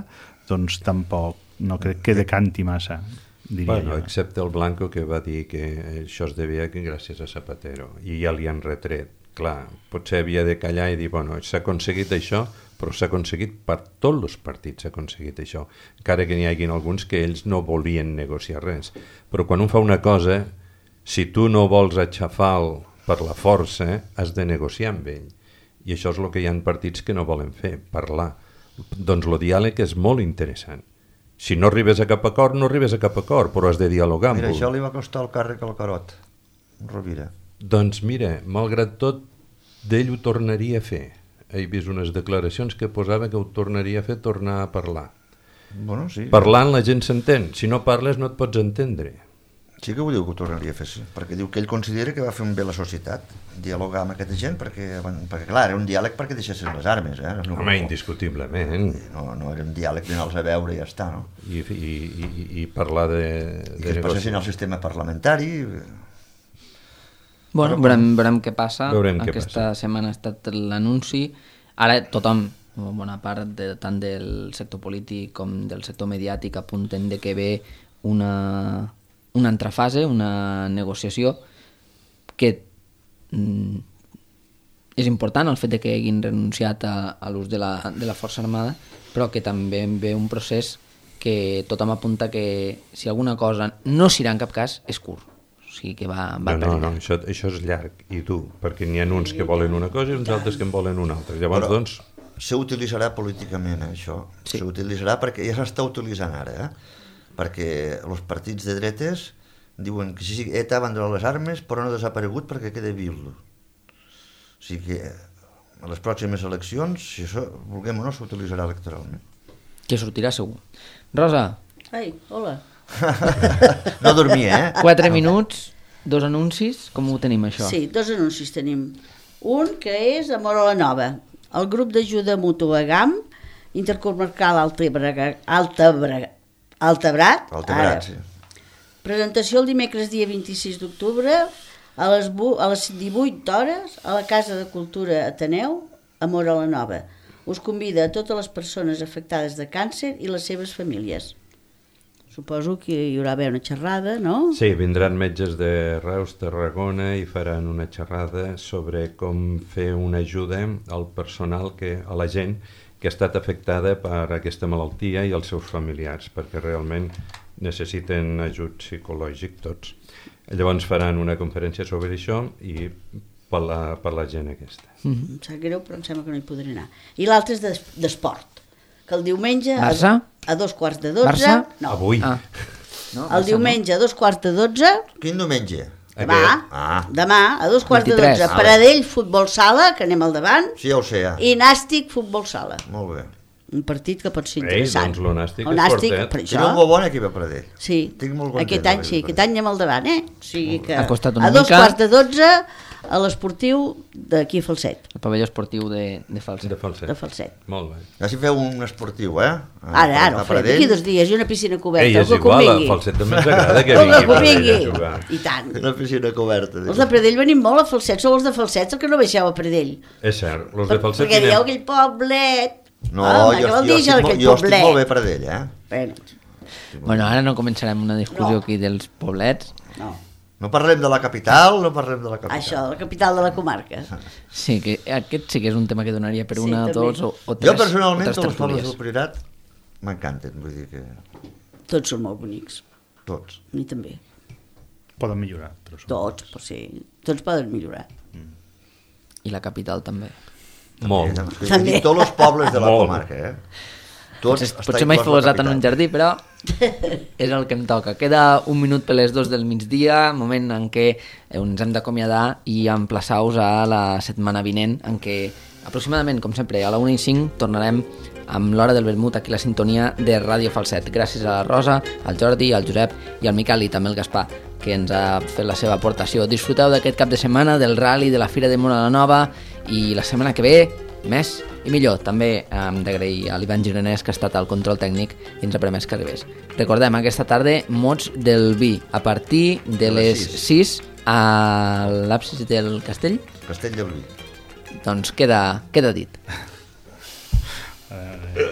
Speaker 4: doncs tampoc, no crec que decanti massa, diria
Speaker 3: Bueno,
Speaker 4: jo.
Speaker 3: excepte el Blanco, que va dir que això es devia que gràcies a Zapatero, i ja li han retret clar, potser havia de callar i dir, bueno, s'ha aconseguit això, però s'ha aconseguit per tots els partits, s'ha aconseguit això. Encara que n'hi hagi alguns que ells no volien negociar res. Però quan un fa una cosa, si tu no vols aixafar-lo per la força, has de negociar amb ell. I això és el que hi ha partits que no volen fer, parlar. Doncs el diàleg és molt interessant. Si no arribes a cap acord, no arribes a cap acord, però has de dialogar amb
Speaker 5: Mira,
Speaker 3: ell.
Speaker 5: això li va costar el càrrec al Carot, Rovira.
Speaker 3: Doncs mira, malgrat tot, d'ell ho tornaria a fer. He vist unes declaracions que posava que ho tornaria a fer, tornar a parlar.
Speaker 5: Bueno, sí.
Speaker 3: Parlant la gent s'entén, si no parles no et pots entendre.
Speaker 5: Sí que ho diu que ho tornaria a fer, sí. Perquè diu que ell considera que va fer un bé a la societat, dialogar amb aquesta gent, perquè, perquè clar, era un diàleg perquè deixessin les armes, eh? No,
Speaker 3: Home, indiscutiblement.
Speaker 5: no, no era un diàleg d'anar-los a veure i ja està, no?
Speaker 3: I, i, i, i parlar de...
Speaker 5: I
Speaker 3: de
Speaker 5: que es passessin al sistema parlamentari.
Speaker 1: Bueno, veurem, veurem què passa.
Speaker 3: Veurem què
Speaker 1: Aquesta
Speaker 3: passa.
Speaker 1: setmana ha estat l'anunci. Ara tothom, bona part de, tant del sector polític com del sector mediàtic, apunten de que ve una, una altra fase, una negociació que mm, és important el fet de que hagin renunciat a, a l'ús de, la, de la força armada, però que també ve un procés que tothom apunta que si alguna cosa no s'irà en cap cas és curt. O sigui que va, va
Speaker 3: No, no, no, això, això és llarg i dur, perquè n'hi ha uns que volen una cosa i uns altres que en volen una altra. Llavors,
Speaker 5: Però
Speaker 3: doncs...
Speaker 5: s'utilitzarà políticament, eh, això.
Speaker 1: Sí.
Speaker 5: S'utilitzarà perquè ja s'està utilitzant ara, eh? Perquè els partits de dretes diuen que sí, E T A abandonat les armes però no ha desaparegut perquè queda viu. O sigui que a les pròximes eleccions, si això vulguem o no, s'utilitzarà electoralment.
Speaker 1: Que sortirà segur. Rosa,
Speaker 2: Ai, hola.
Speaker 5: No dormia, eh?
Speaker 1: quatre minuts, dos anuncis, com ho tenim això?
Speaker 2: Sí, dos anuncis tenim. Un que és a Móra la Nova, el grup d'ajuda mútua G A M, intercomarcal Altabrat, Altabrat, Altabrat,
Speaker 5: Altabrat, sí.
Speaker 2: Presentació el dimecres dia vint-i-sis d'octubre a les, a les divuit hores a la Casa de Cultura Ateneu a Móra la Nova. Us convida a totes les persones afectades de càncer i les seves famílies. Suposo que hi haurà haver una xerrada, no?
Speaker 3: Sí, vindran metges de Reus, Tarragona i faran una xerrada sobre com fer una ajuda al personal, que, a la gent que ha estat afectada per aquesta malaltia i els seus familiars, perquè realment necessiten ajut psicològic tots. Llavors faran una conferència sobre això i per la, per la gent aquesta.
Speaker 2: Mm-hmm. Em sap greu, però em sembla que no hi podré anar. I l'altre és d'es- d'esport, que el diumenge a,
Speaker 1: Barça?
Speaker 2: a dos quarts de dotze...
Speaker 1: Barça?
Speaker 2: No,
Speaker 3: Avui.
Speaker 1: Ah. No,
Speaker 2: el diumenge a dos quarts de dotze...
Speaker 5: Quin diumenge?
Speaker 2: Demà,
Speaker 5: Ah.
Speaker 2: demà a dos quarts
Speaker 1: vint-i-tres.
Speaker 2: de dotze, Paradell, futbol sala, que anem al davant,
Speaker 5: Sí, ja ho sé, ja.
Speaker 2: i Nàstic, futbol sala.
Speaker 5: Molt bé.
Speaker 2: Un partit que pot ser
Speaker 3: Ei,
Speaker 2: interessant.
Speaker 3: doncs lo Nàstic
Speaker 2: El
Speaker 3: és
Speaker 2: Nàstic,
Speaker 3: fortet.
Speaker 2: per
Speaker 5: Tinc
Speaker 2: això...
Speaker 5: un molt bon equip a Pradell.
Speaker 2: Sí,
Speaker 5: Estic molt content
Speaker 2: aquest any
Speaker 5: de
Speaker 2: sí,
Speaker 5: veure-ho.
Speaker 2: aquest any anem al davant, eh? O sigui que
Speaker 1: Ha costat una
Speaker 2: a dos
Speaker 1: mica.
Speaker 2: quarts de dotze a l'esportiu d'aquí a Falset,
Speaker 1: El pavelló esportiu de, de Falset.
Speaker 3: De falset.
Speaker 2: de Falset.
Speaker 3: Molt bé.
Speaker 5: Ja si feu un esportiu, eh? A-
Speaker 2: Ara, ara,
Speaker 5: a
Speaker 2: ho farem,
Speaker 5: Pradell.
Speaker 2: d'aquí dos dies, i una piscina coberta,
Speaker 3: Ei, és
Speaker 2: algú que
Speaker 3: igual, a
Speaker 2: convingui.
Speaker 3: Falset també ens agrada que
Speaker 2: Algú
Speaker 3: vingui
Speaker 2: que
Speaker 3: a Pradell a
Speaker 2: convingui.
Speaker 3: jugar.
Speaker 2: I tant.
Speaker 5: Una piscina coberta.
Speaker 2: Els de Pradell venim molt a Falset, sou els de Falset, el que no baixeu a Pradell.
Speaker 3: És cert, els de
Speaker 2: Per,
Speaker 3: Falset
Speaker 2: perquè dieu
Speaker 3: vinem.
Speaker 2: aquell poblet...
Speaker 5: No,
Speaker 2: Home,
Speaker 5: jo,
Speaker 2: què vol
Speaker 5: jo,
Speaker 2: dir
Speaker 5: estic, molt,
Speaker 2: aquell
Speaker 5: jo estic
Speaker 2: poblet?
Speaker 5: molt bé a Pradell, eh?
Speaker 2: Bueno,
Speaker 1: Bueno, ara no començarem una discussió
Speaker 2: No.
Speaker 1: aquí dels poblets.
Speaker 2: no.
Speaker 5: No parlem de la capital, no parlem de la capital.
Speaker 2: Això, la capital de la comarca.
Speaker 1: Sí, que aquest sí que és un tema que donaria per
Speaker 2: Sí,
Speaker 1: una,
Speaker 2: també.
Speaker 1: dos o, o tres,
Speaker 5: Jo personalment,
Speaker 1: o tres
Speaker 5: tots els pobles
Speaker 1: tertúlies.
Speaker 5: del Priorat m'encanten, vull dir que
Speaker 2: Tots són molt bonics.
Speaker 5: tots.
Speaker 2: A mi també.
Speaker 4: Poden millorar, però són...
Speaker 2: Tots, però sí. Tots poden millorar.
Speaker 1: I la capital també.
Speaker 3: Molt.
Speaker 5: També.
Speaker 2: També.
Speaker 5: I tots els pobles de la
Speaker 3: Molt.
Speaker 5: comarca, eh? Tots
Speaker 1: Potser,
Speaker 5: està
Speaker 1: potser m'he
Speaker 5: inclòs la
Speaker 1: filosat en un
Speaker 5: capital.
Speaker 1: jardí, però és el que em toca. Queda un minut per les dos del migdia, moment en què ens hem d'acomiadar i emplaçar-vos a la setmana vinent, en què aproximadament, com sempre, a la una i cinc tornarem amb l'hora del vermut aquí a la sintonia de Ràdio Falset. Gràcies a la Rosa, al Jordi, al Josep i al Miquel i també al Gaspar, que ens ha fet la seva aportació. Disfruteu d'aquest cap de setmana, del rally, de la Fira de Móra la Nova, i la setmana que ve, més i millor. També hem d'agrair a l'Ivan Gironès, que ha estat al control tècnic i ens ha permès que arribés. Recordem, aquesta tarda, mots del vi, a partir de les sis a l'absis del castell.
Speaker 5: Castell de Blull.
Speaker 1: Doncs queda, queda dit.
Speaker 4: Eh,